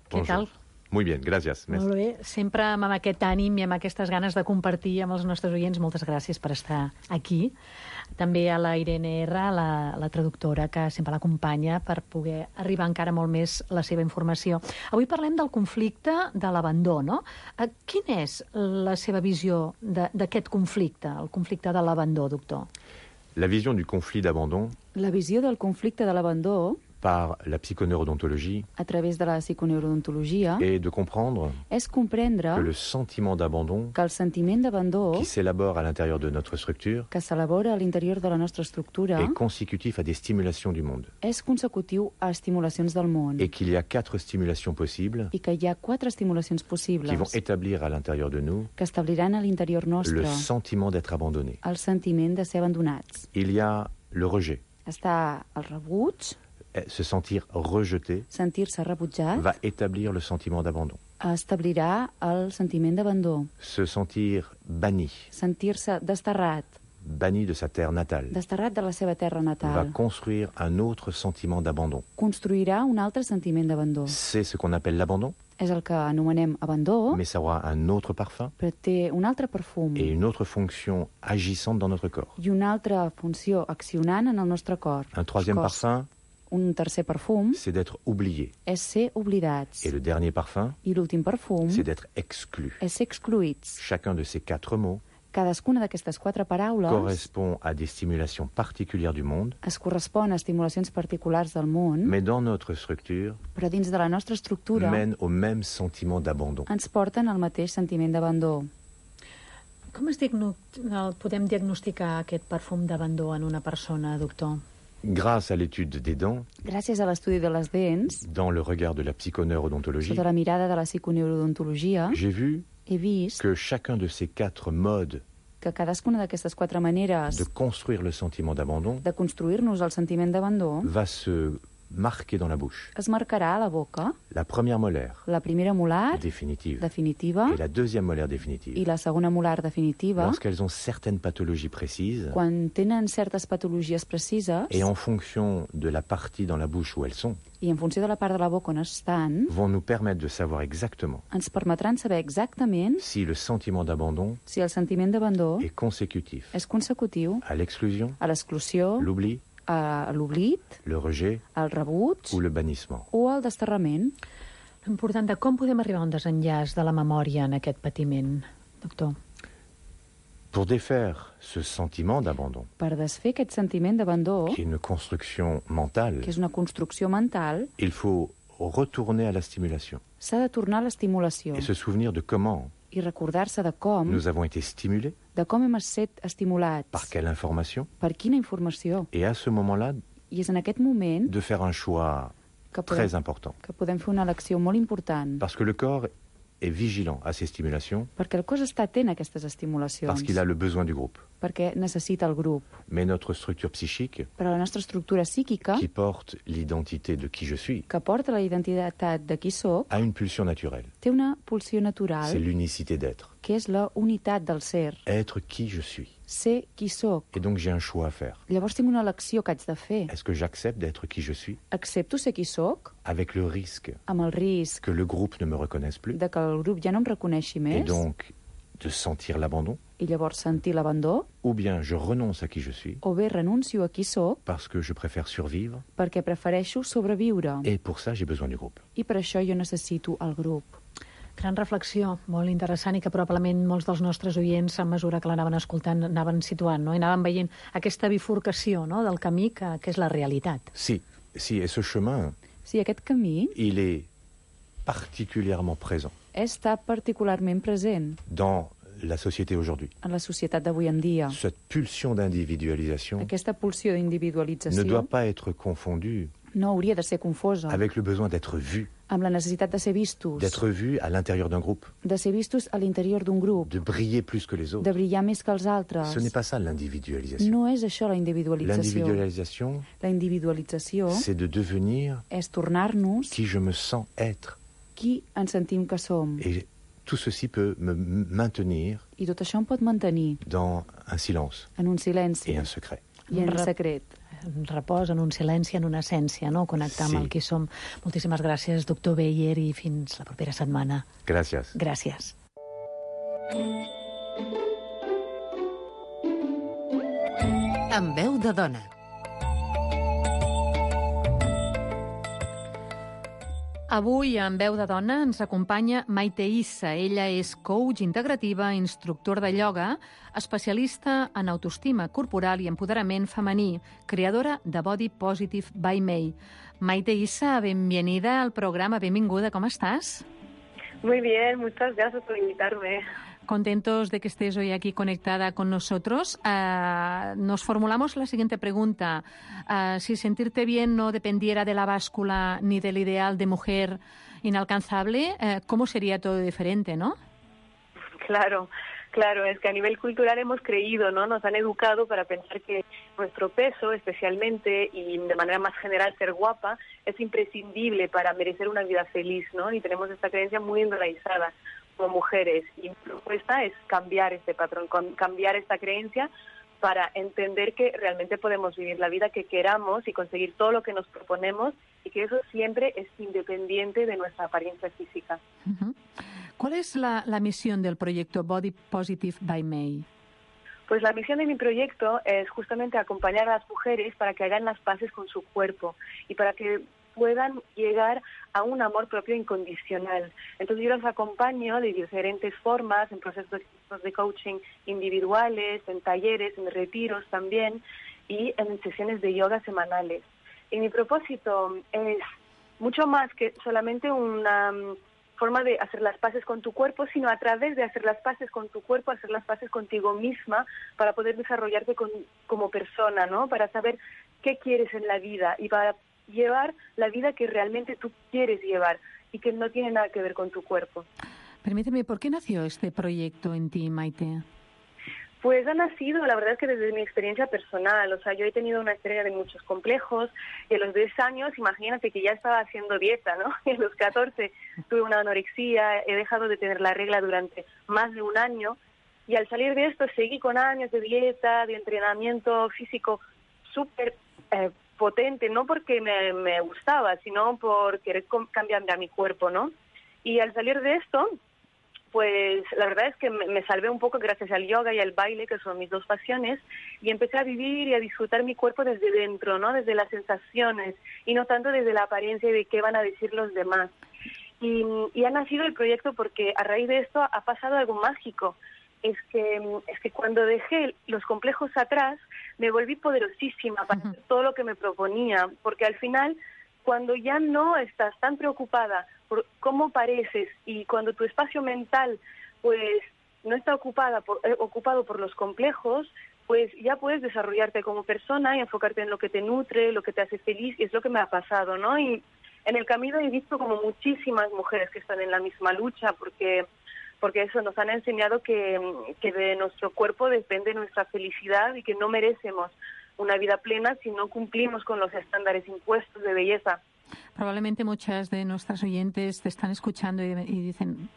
Què tal? Muy bien, gracias. Molt bé, sempre amb aquest ànim i amb aquestes ganes de compartir amb els nostres oients. Moltes gràcies per estar aquí. També a la Irene R, la traductora, que sempre l'acompanya per poder arribar encara molt més la seva informació. Avui parlem del conflicte de l'abandó, no? Quina és la seva visió d'aquest conflicte, el conflicte de l'abandó, doctor? La vision du conflit d'abandon. La visió del conflicte de l'abandó par la psychoneurodontologie a través de la psiconeurodontologia et de comprendre és comprendre que le sentiment d'abandon que el sentiment d'abandó qui s'élabore à l'intérieur de notre structure que s'elabora a l'interior de la nostra estructura est consécutif à des stimulations du monde és consecutiu a estimulacions del món et qu'il y a 4 stimulations possibles i que hi ha 4 estimulacions possibles qui vont établir à l'intérieur de nous que establiran a l'interior nostre le sentiment d'être abandonné. El sentiment de ser abandonats. Il y a le rejet. Està el rebuig, se sentir rejeté sentir-se rebutjat, va établir le sentiment d'abandon. Establirà el sentiment d'abandó. Se sentir banni. Sentir-se desterrat. Banni de sa terre natale. Desterrat de la seva terra natal. Va construire un autre sentiment d'abandon. Construirà un altre sentiment d'abandó. C'est ce qu'on appelle l'abandon. És el que anomenem abandó, mais ça aura un autre parfum però té un altre perfum et une autre fonction agissante dans notre corps. I una altra funció accionant en el nostre cor. Un troisième parfum, un tercer perfum, c'est d'être oublié. És ser oblidats. Et le dernier parfum, I l'últim perfum, c'est d'être exclu. És ser excluïts. Chacun de ces 4 mots cadascuna d'aquestes 4 paraules correspond à des stimulations particulières du monde. Es correspon a estimulacions particulars del món. Mais dans notre structure, però dins de la nostra estructura, mènent au même sentiment d'abandon. Ens porten al mateix sentiment d'abandó. Com podem diagnosticar aquest perfum d'abandó en una persona, doctor? Grâce à l'étude des dents, gràcies a l'estudi de les dents, dans le regard de la psychoneurodontologie, sota la mirada de la psiconeurodontologia, j'ai vu he vist que chacun de ces 4 modes que cadascuna d'aquestes 4 maneres de construire le sentiment d'abandon de construir-nos el sentiment d'abandó va se marquer dans la bouche. Es marcarà a la boca. La première molaire. La primera molar. Définitive. Definitiva. Et la deuxième molaire définitive. I la segona molar definitiva. Lorsqu'elles ont certaines pathologies précises. Quan tenen certes patologies precises. Et en fonction de la partie dans la bouche où elles sont. I en funció de la part de la boca on estan. Vont nous permettre de savoir exactement. Ens permetran saber exactament. Si le sentiment d'abandon. Si el sentiment d'abandó. Est consécutif. És consecutiu. À l'exclusion. A l'exclusió. L'oubli. A l'oblit, le rejet, el rebuig ou le bannissement. O el desterrament. L'important de com podem arribar a un desenllaç de la memòria en aquest patiment, doctor? Pour défaire ce sentiment d'abandon, per desfer aquest sentiment d'abandó, qui est une construction mentale, que és una construcció mental, il faut retourner à la stimulation. S'ha de tornar a l'estimulació. Et se souvenir de comment I recordar-se de com nous avons été stimulés, de com hem estat estimulats, par quelle information, per quina informació. Et à ce moment-là, I és en aquest moment de faire un choix très important. Que podem fer una elecció molt important. Parce que le corps est vigilant à ces stimulations. Perquè el cos està atent a aquestes estimulacions. Parce qu'il a le besoin du groupe. Perquè necessita el grup. Mais notre structure psychique, però la nostra estructura psíquica, qui porte l'identité de qui je suis, que porta la identitat de qui soc, a une pulsion naturelle. Té una pulsió natural. C'est l'unicité d'être. Que és la unitat del ser. Être qui je suis. Ser qui soc. Et donc j'ai un choix à faire. Llavors tinc una elecció que haig de fer. Est-ce que j'accepte d'être qui je suis? Accepto ser qui soc. Avec le risque. Amb el risc. Que le groupe ne me reconnaisse plus. De que el grup ja no em reconeixi més. Et donc de sentir l'abandon. I llavors sentir l'abandó. Ou bien je renonce à qui je suis. O bé renuncio a qui soc. Parce que je préfère survivre. Perquè prefereixo sobreviure. Et pour ça j'ai besoin du groupe. I per això jo necessito el grup. Gran reflexió, molt interessant i que probablement molts dels nostres oients, a mesura que l'anaven escoltant, anaven situant, no? I anaven veient aquesta bifurcació, no?, del camí que és la realitat. Si, et ce chemin, Sí, aquest camí il est particulièrement présent està particularment present dans la société aujourd'hui. en la societat d'avui en dia. Cette pulsion d'individualisation Aquesta pulsió ne d'individualització doit pas être confondue no hauria de ser confosa avec le besoin d'être vu, amb la necessitat de ser vistos, d'être vu à l'intérieur d'un groupe, de ser vistos a l'interior d'un grup, de briller plus que les autres. de brillar més que els altres. Ce n'est pas ça l'individualisation. No és això la individualització. L'individualisation, La individualització c'est de devenir és tornar-nos qui je me sens être. qui ens sentim que som. Et tout ceci peut me maintenir I tot això em pot mantenir dans un silence en un silenci et un secret. i en secret. En repòs, en un silenci, en una essència, no?, connectar amb el que som. Moltíssimes gràcies, doctor Beyer, i fins la propera setmana. Gràcies. Gràcies. Amb veu de dona. Avui, en Veu de Dona, ens acompanya Maite Issa. Ella és coach integrativa, instructor de ioga, especialista en autoestima corporal i empoderament femení, creadora de Body Positive by May. Maite Issa, bienvenida al programa, benvinguda, ¿cómo estás? Muy bien, muchas gracias por invitarme. Contentos de que estés hoy aquí conectada con nosotros. Nos formulamos la siguiente pregunta. Si sentirte bien no dependiera de la báscula ni del ideal de mujer inalcanzable, ¿cómo sería todo diferente, no? Claro, es que a nivel cultural hemos creído, ¿no? Nos han educado para pensar que nuestro peso, especialmente, y de manera más general ser guapa, es imprescindible para merecer una vida feliz, ¿no? Y tenemos esta creencia muy enraizada como mujeres. Y mi propuesta es cambiar este patrón, cambiar esta creencia para entender que realmente podemos vivir la vida que queramos y conseguir todo lo que nos proponemos y que eso siempre es independiente de nuestra apariencia física. Uh-huh. ¿Cuál es la misión del proyecto Body Positive by May? Pues la misión de mi proyecto es justamente acompañar a las mujeres para que hagan las paces con su cuerpo y para que puedan llegar a un amor propio incondicional. Entonces yo las acompaño de diferentes formas, en procesos de coaching individuales, en talleres, en retiros también y en sesiones de yoga semanales. Y mi propósito es mucho más que solamente una forma de hacer las paces con tu cuerpo, sino a través de hacer las paces con tu cuerpo, hacer las paces contigo misma para poder desarrollarte como persona, ¿no? Para saber qué quieres en la vida y para llevar la vida que realmente tú quieres llevar y que no tiene nada que ver con tu cuerpo. Permíteme, ¿por qué nació este proyecto en ti, Maite? Pues ha nacido, la verdad es que desde mi experiencia personal, o sea, yo he tenido una historia de muchos complejos y a los 10 años, imagínate que ya estaba haciendo dieta, ¿no? Y a los 14 tuve una anorexia, he dejado de tener la regla durante más de un año y al salir de esto seguí con años de dieta, de entrenamiento físico súper potente, no porque me gustaba, sino por querer cambiar a mi cuerpo, ¿no? Y al salir de esto, pues la verdad es que me salvé un poco gracias al yoga y al baile, que son mis dos pasiones, y empecé a vivir y a disfrutar mi cuerpo desde dentro, ¿no? Desde las sensaciones, y no tanto desde la apariencia de qué van a decir los demás. Y ha nacido el proyecto porque a raíz de esto ha pasado algo mágico. Es que cuando dejé los complejos atrás, me volví poderosísima para hacer todo lo que me proponía, porque al final, cuando ya no estás tan preocupada por cómo pareces y cuando tu espacio mental pues no está ocupado por los complejos, pues ya puedes desarrollarte como persona y enfocarte en lo que te nutre, lo que te hace feliz, y es lo que me ha pasado, ¿no? Y en el camino he visto como muchísimas mujeres que están en la misma lucha, porque eso nos han enseñado que de nuestro cuerpo depende nuestra felicidad y que no merecemos una vida plena si no cumplimos con los estándares impuestos de belleza. Probablemente muchas de nuestras oyentes te están escuchando y dicen,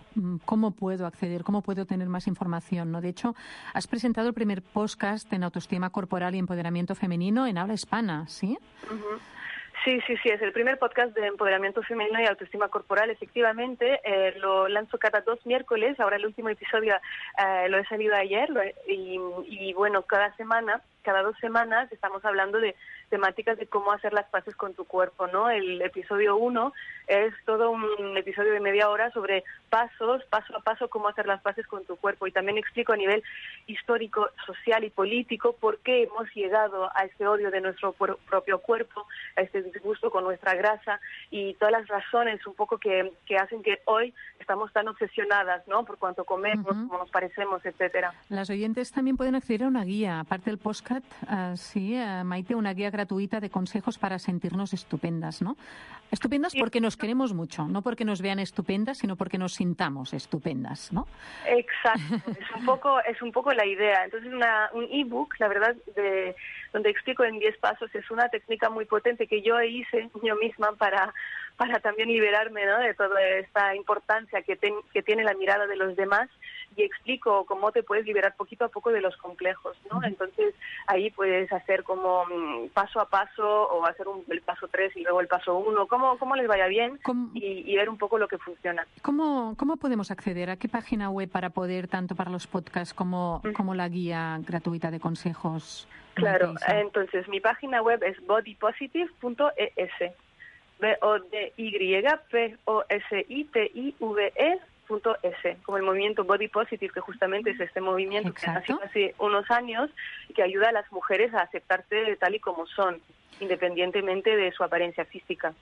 ¿cómo puedo acceder? ¿Cómo puedo tener más información? ¿No? De hecho, has presentado el primer podcast en autoestima corporal y empoderamiento femenino en habla hispana, ¿sí? Uh-huh. Sí, es el primer podcast de empoderamiento femenino y autoestima corporal. Efectivamente, lo lanzo cada 2 miércoles. Ahora el último episodio lo he salido ayer y bueno, cada semana cada 2 semanas estamos hablando de temáticas de cómo hacer las paces con tu cuerpo, ¿no? El episodio 1 es todo un episodio de media hora sobre paso a paso, cómo hacer las paces con tu cuerpo. Y también explico a nivel histórico, social y político por qué hemos llegado a este odio de nuestro propio cuerpo, a este disgusto con nuestra grasa y todas las razones un poco que hacen que hoy estamos tan obsesionadas, ¿no? Por cuánto comemos, cómo nos parecemos, etcétera. Las oyentes también pueden acceder a una guía, aparte del podcast, Maite, una guía gratuita de consejos para sentirnos estupendas, ¿no? Estupendas porque nos queremos mucho, no porque nos vean estupendas, sino porque nos sintamos estupendas, ¿no? Exacto, es un poco la idea. Entonces un ebook, la verdad, donde explico en 10 pasos, es una técnica muy potente que yo hice yo misma para también liberarme, ¿no? De toda esta importancia que tiene la mirada de los demás, y explico cómo te puedes liberar poquito a poco de los complejos, ¿no? Entonces ahí puedes hacer como paso a paso, o hacer el paso 3 y luego el paso 1, cómo les vaya bien y ver un poco lo que funciona. ¿Cómo podemos acceder? ¿A qué página web para poder, tanto para los podcasts como la guía gratuita de consejos? Claro, entonces mi página web es bodypositive.es. BODYPOSITIVE.es, como el movimiento Body Positive, que justamente es este movimiento que nació hace unos años y que ayuda a las mujeres a aceptarse tal y como son, independientemente de su apariencia física.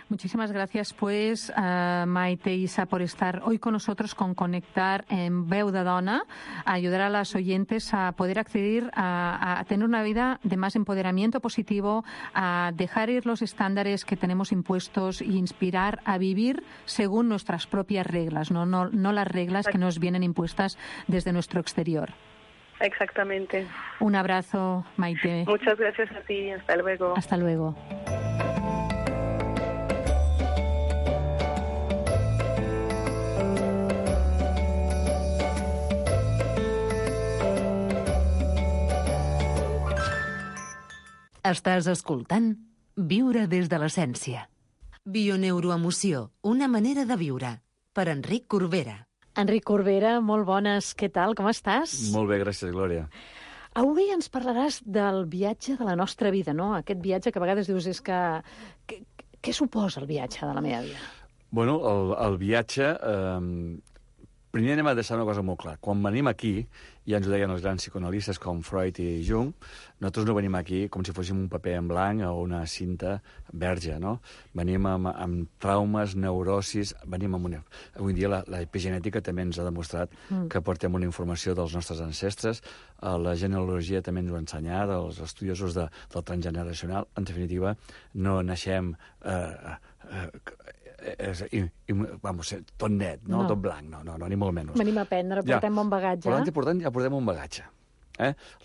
Muchísimas gracias, pues, Maite y Isa, por estar hoy con nosotros con Conectar en Veu de Dona, a ayudar a las oyentes a poder acceder a tener una vida de más empoderamiento positivo, a dejar ir los estándares que tenemos impuestos e inspirar a vivir según nuestras propias reglas, no las reglas que nos vienen impuestas desde nuestro exterior. Exactamente. Un abrazo, Maite. Muchas gracias a ti. Hasta luego. Hasta luego. Estàs escoltant Viure des de l'essència. Bioneuroemoció, una manera de viure. Per Enric Corbera. Enric Corbera, molt bones. Què tal? Com estàs? Molt bé, gràcies, Glòria. Avui ens parlaràs del viatge de la nostra vida, no? Aquest viatge que a vegades dius és que... Què suposa el viatge de la meva vida? Bueno, el viatge... Primer anem a deixar una cosa molt clara. Quan venim aquí, ja ens ho deien els grans psicoanalistes com Freud i Jung, nosaltres no venim aquí com si fóssim un paper en blanc o una cinta verge, no? Venim amb traumes, neurosis, venim amb una... Avui dia la epigenètica també ens ha demostrat que portem una informació dels nostres ancestres, la genealogia també ens ho ha ensenyat, els estudiosos del transgeneracional. En definitiva, no naixem... vamos, tot net, no? Tot blanc, no, ni molt menys. Venim a aprendre, portem un bagatge. Ja portem un bagatge.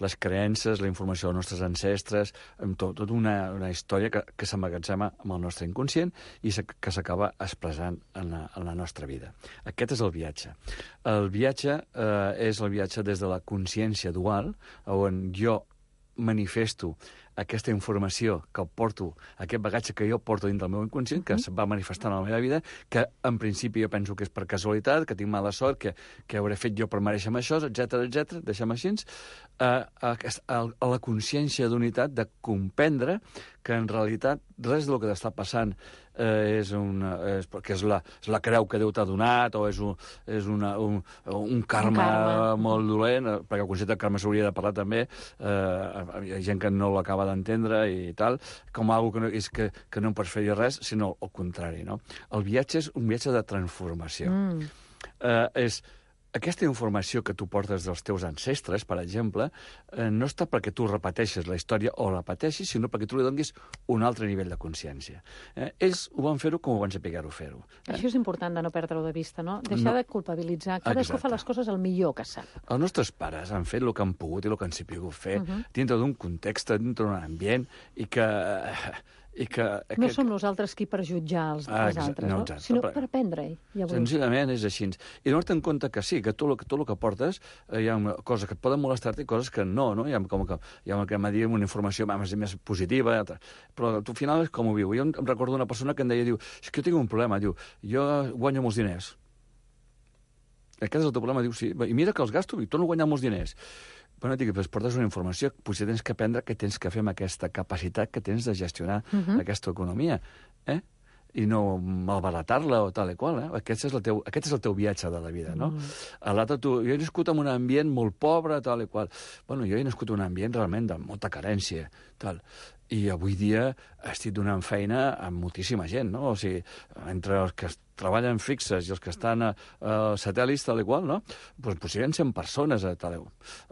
Les creences, la informació dels nostres ancestres, tota una història que s'emmagatzema amb el nostre inconscient i que s'acaba expressant en la nostra vida. Aquest és el viatge. El viatge és el viatge des de la consciència dual, on jo manifesto aquesta informació que porto, aquest bagatge que jo porto dins del meu inconscient, que se va manifestant a la meva vida, que en principi jo penso que és per casualitat, que tinc mala sort, que hauré fet jo per mereixer això, etc. Deixem així, a la consciència d'unitat, de comprendre que en realitat res del que t'està passant és la creu que Déu t'ha donat o és un karma molt dolent, perquè el concepte de karma s'hauria de parlar també, hi ha gent que no l'acaba d'entendre i tal, com algo que no em pots fer res, sinó el contrari, no? El viatge és un viatge de transformació. És aquesta informació que tu portes dels teus ancestres, per exemple, no està perquè tu repeteixes la història o la pateixis, sinó perquè tu li donis un altre nivell de consciència. Ells ho van fer-ho com ho van saber-ho fer-ho. Això és important de no perdre-ho de vista, no? Deixar de culpabilitzar. Cadascú fa les coses el millor que sap. Els nostres pares han fet el que han pogut i el que han sabut fer dintre d'un context, dintre d'un ambient, i que no som nosaltres qui per jutjar els altres, no? Sinó per aprendre-hi. Senzillament és així. I donar-te en compte que sí, que tot el que portes hi ha coses que et poden molestar-te i coses que no. Hi ha com que m'ha dit una informació més positiva, però al final és com ho viu. Jo em recordo una persona que em deia, és que jo tinc un problema, jo guanyo molts diners. Aquest és el teu problema, diu, sí, i mira que els gasto i torno a guanyar molts diners. Bueno, dic, doncs portes una informació, potser tens que aprendre què tens que fer amb aquesta capacitat que tens de gestionar aquesta economia, i no malbaratar-la o tal i qual. Aquest és el teu viatge de la vida, no? L'altre, jo he nascut en un ambient molt pobre, tal i qual. Bueno, jo he nascut en un ambient realment de molta carència, tal. I avui dia estic donant feina a moltíssima gent, no? O sigui, entre els que treballen fixes i els que estan a satèl·lits, tal i qual, no? Doncs potser hi ha 100 persones a tal.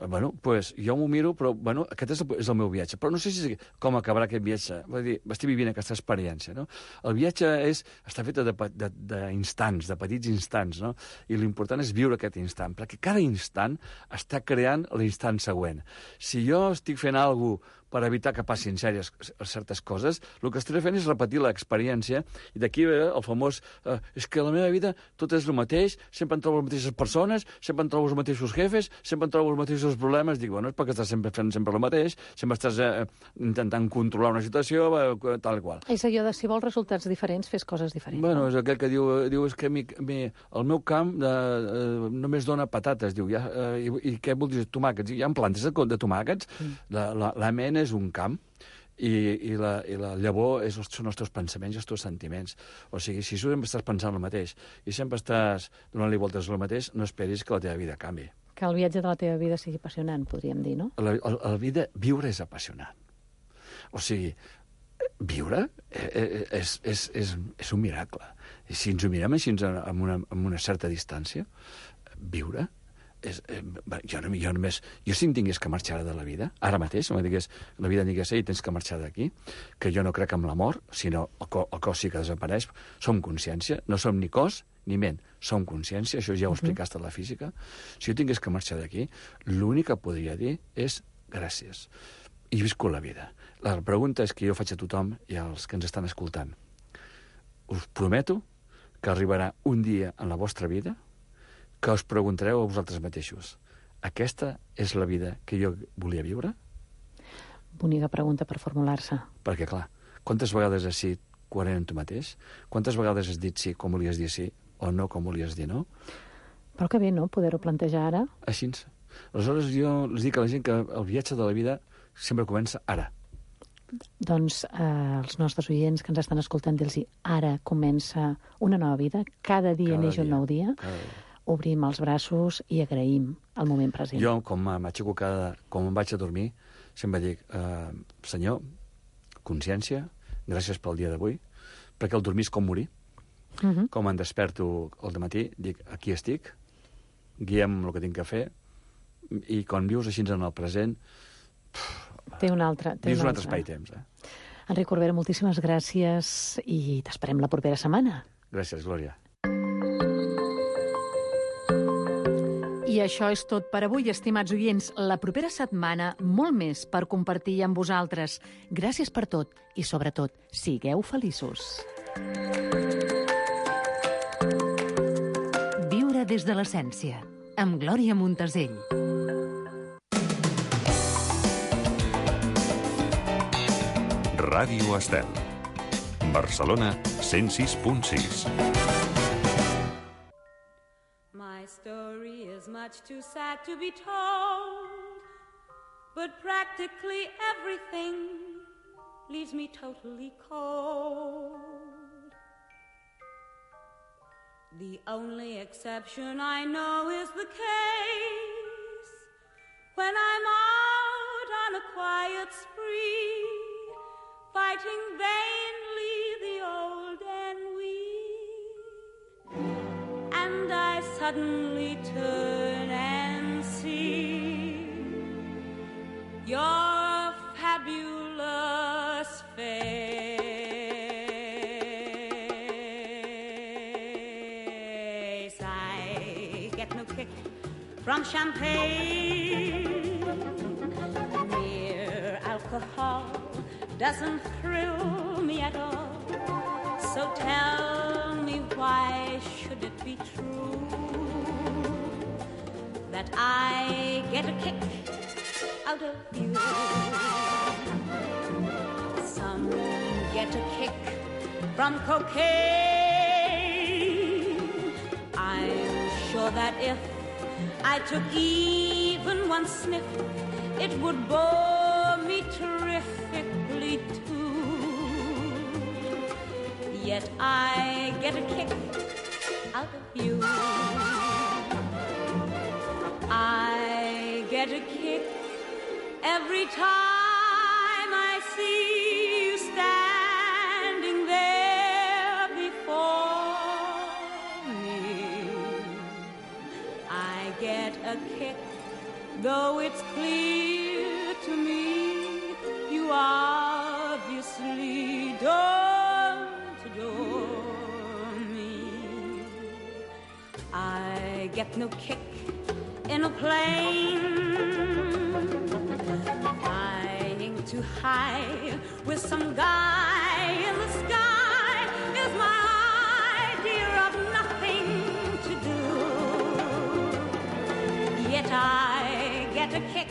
Bueno, doncs jo m'ho miro, però, bueno, aquest és el meu viatge. Però no sé com acabarà aquest viatge. Vull dir, estic vivint aquesta experiència, no? El viatge està fet d'instants, de petits instants, no? I l'important és viure aquest instant, perquè cada instant està creant l'instant següent. Si jo estic fent alguna cosa per evitar que passin certes coses, el que estaré fent és repetir l'experiència, i d'aquí ve el famós és que la meva vida tot és el mateix, sempre em trobo les mateixes persones, sempre em trobo els mateixos jefes, sempre em trobo els mateixos problemes. Dic, bueno, és perquè estàs sempre fent el mateix, sempre estàs intentant controlar una situació, tal i qual. És allò de, si vols resultats diferents, fes coses diferents. Bueno, és aquell que diu és que el meu camp només dona patates, diu, i què vol dir? Tomàquets. Hi ha plantes de tomàquets, la ment és un camp, i la llavor són els teus pensaments i els teus sentiments. O sigui, si sempre estàs pensant el mateix i sempre estàs donant-li voltes al mateix, no esperis que la teva vida canvi. Que el viatge de la teva vida sigui apassionant, podríem dir, no? Viure és apassionant. O sigui, viure és un miracle. I si ens ho mirem així amb una certa distància, viure jo si em tingués que marxar de la vida, ara mateix, la vida digués, tens que marxar d'aquí, que jo no crec en la mort, sinó el cos sí que desapareix, som consciència, no som ni cos ni ment, som consciència, això ja ho explicaste a la física. Si jo tingués que marxar d'aquí, l'únic que podria dir és gràcies. I visco la vida. La pregunta és que jo faig a tothom i als que ens estan escoltant. Us prometo que arribarà un dia en la vostra vida que us preguntareu a vosaltres mateixos: aquesta és la vida que jo volia viure? Bonica pregunta per formular-se. Perquè, clar, quantes vegades has sigut coherent amb tu mateix? Quantes vegades has dit sí com volies dir sí o no com volies dir no? Però que bé, no?, poder-ho plantejar ara. Així. Aleshores, jo els dic a la gent que el viatge de la vida sempre comença ara. Doncs els nostres oients que ens estan escoltant, dir-los ara comença una nova vida, cada dia neix un nou dia. Obrim els braços i agraïm el moment present. Jo, com m'aixeco com em vaig a dormir, sempre dic, Senyor, consciència, gràcies pel dia d'avui, perquè el dormir és com morir. Com em desperto al matí, dic, aquí estic, guiem el que tinc que fer, i quan vius així en el present, té un altre espai-temps. Enric Corbera, moltíssimes gràcies i t'esperem la propera setmana. Gràcies, Glòria. I això és tot per avui, estimats oients. La propera setmana, molt més per compartir amb vosaltres. Gràcies per tot i, sobretot, sigueu feliços. Viure des de l'essència, amb Glòria Montesell. Ràdio Estel. Barcelona 106.6. My story is much too sad to be told, but practically everything leaves me totally cold. The only exception I know is the case when I'm out on a quiet spree, fighting vainly the old ennui, and I suddenly turn and see your fabulous face. I get no kick from champagne, mere alcohol doesn't thrill me at all. So tell me, why should it be true that I get a kick out of you? Some get a kick from cocaine. I'm sure that if I took even one sniff, it would bore me terrifically too. Yet I get a kick out of you. I get a kick every time I see you standing there before me. I get a kick, though it's clear to me you obviously don't adore me. I get no kick in a plane, flying too high with some guy in the sky is my idea of nothing to do. Yet I get a kick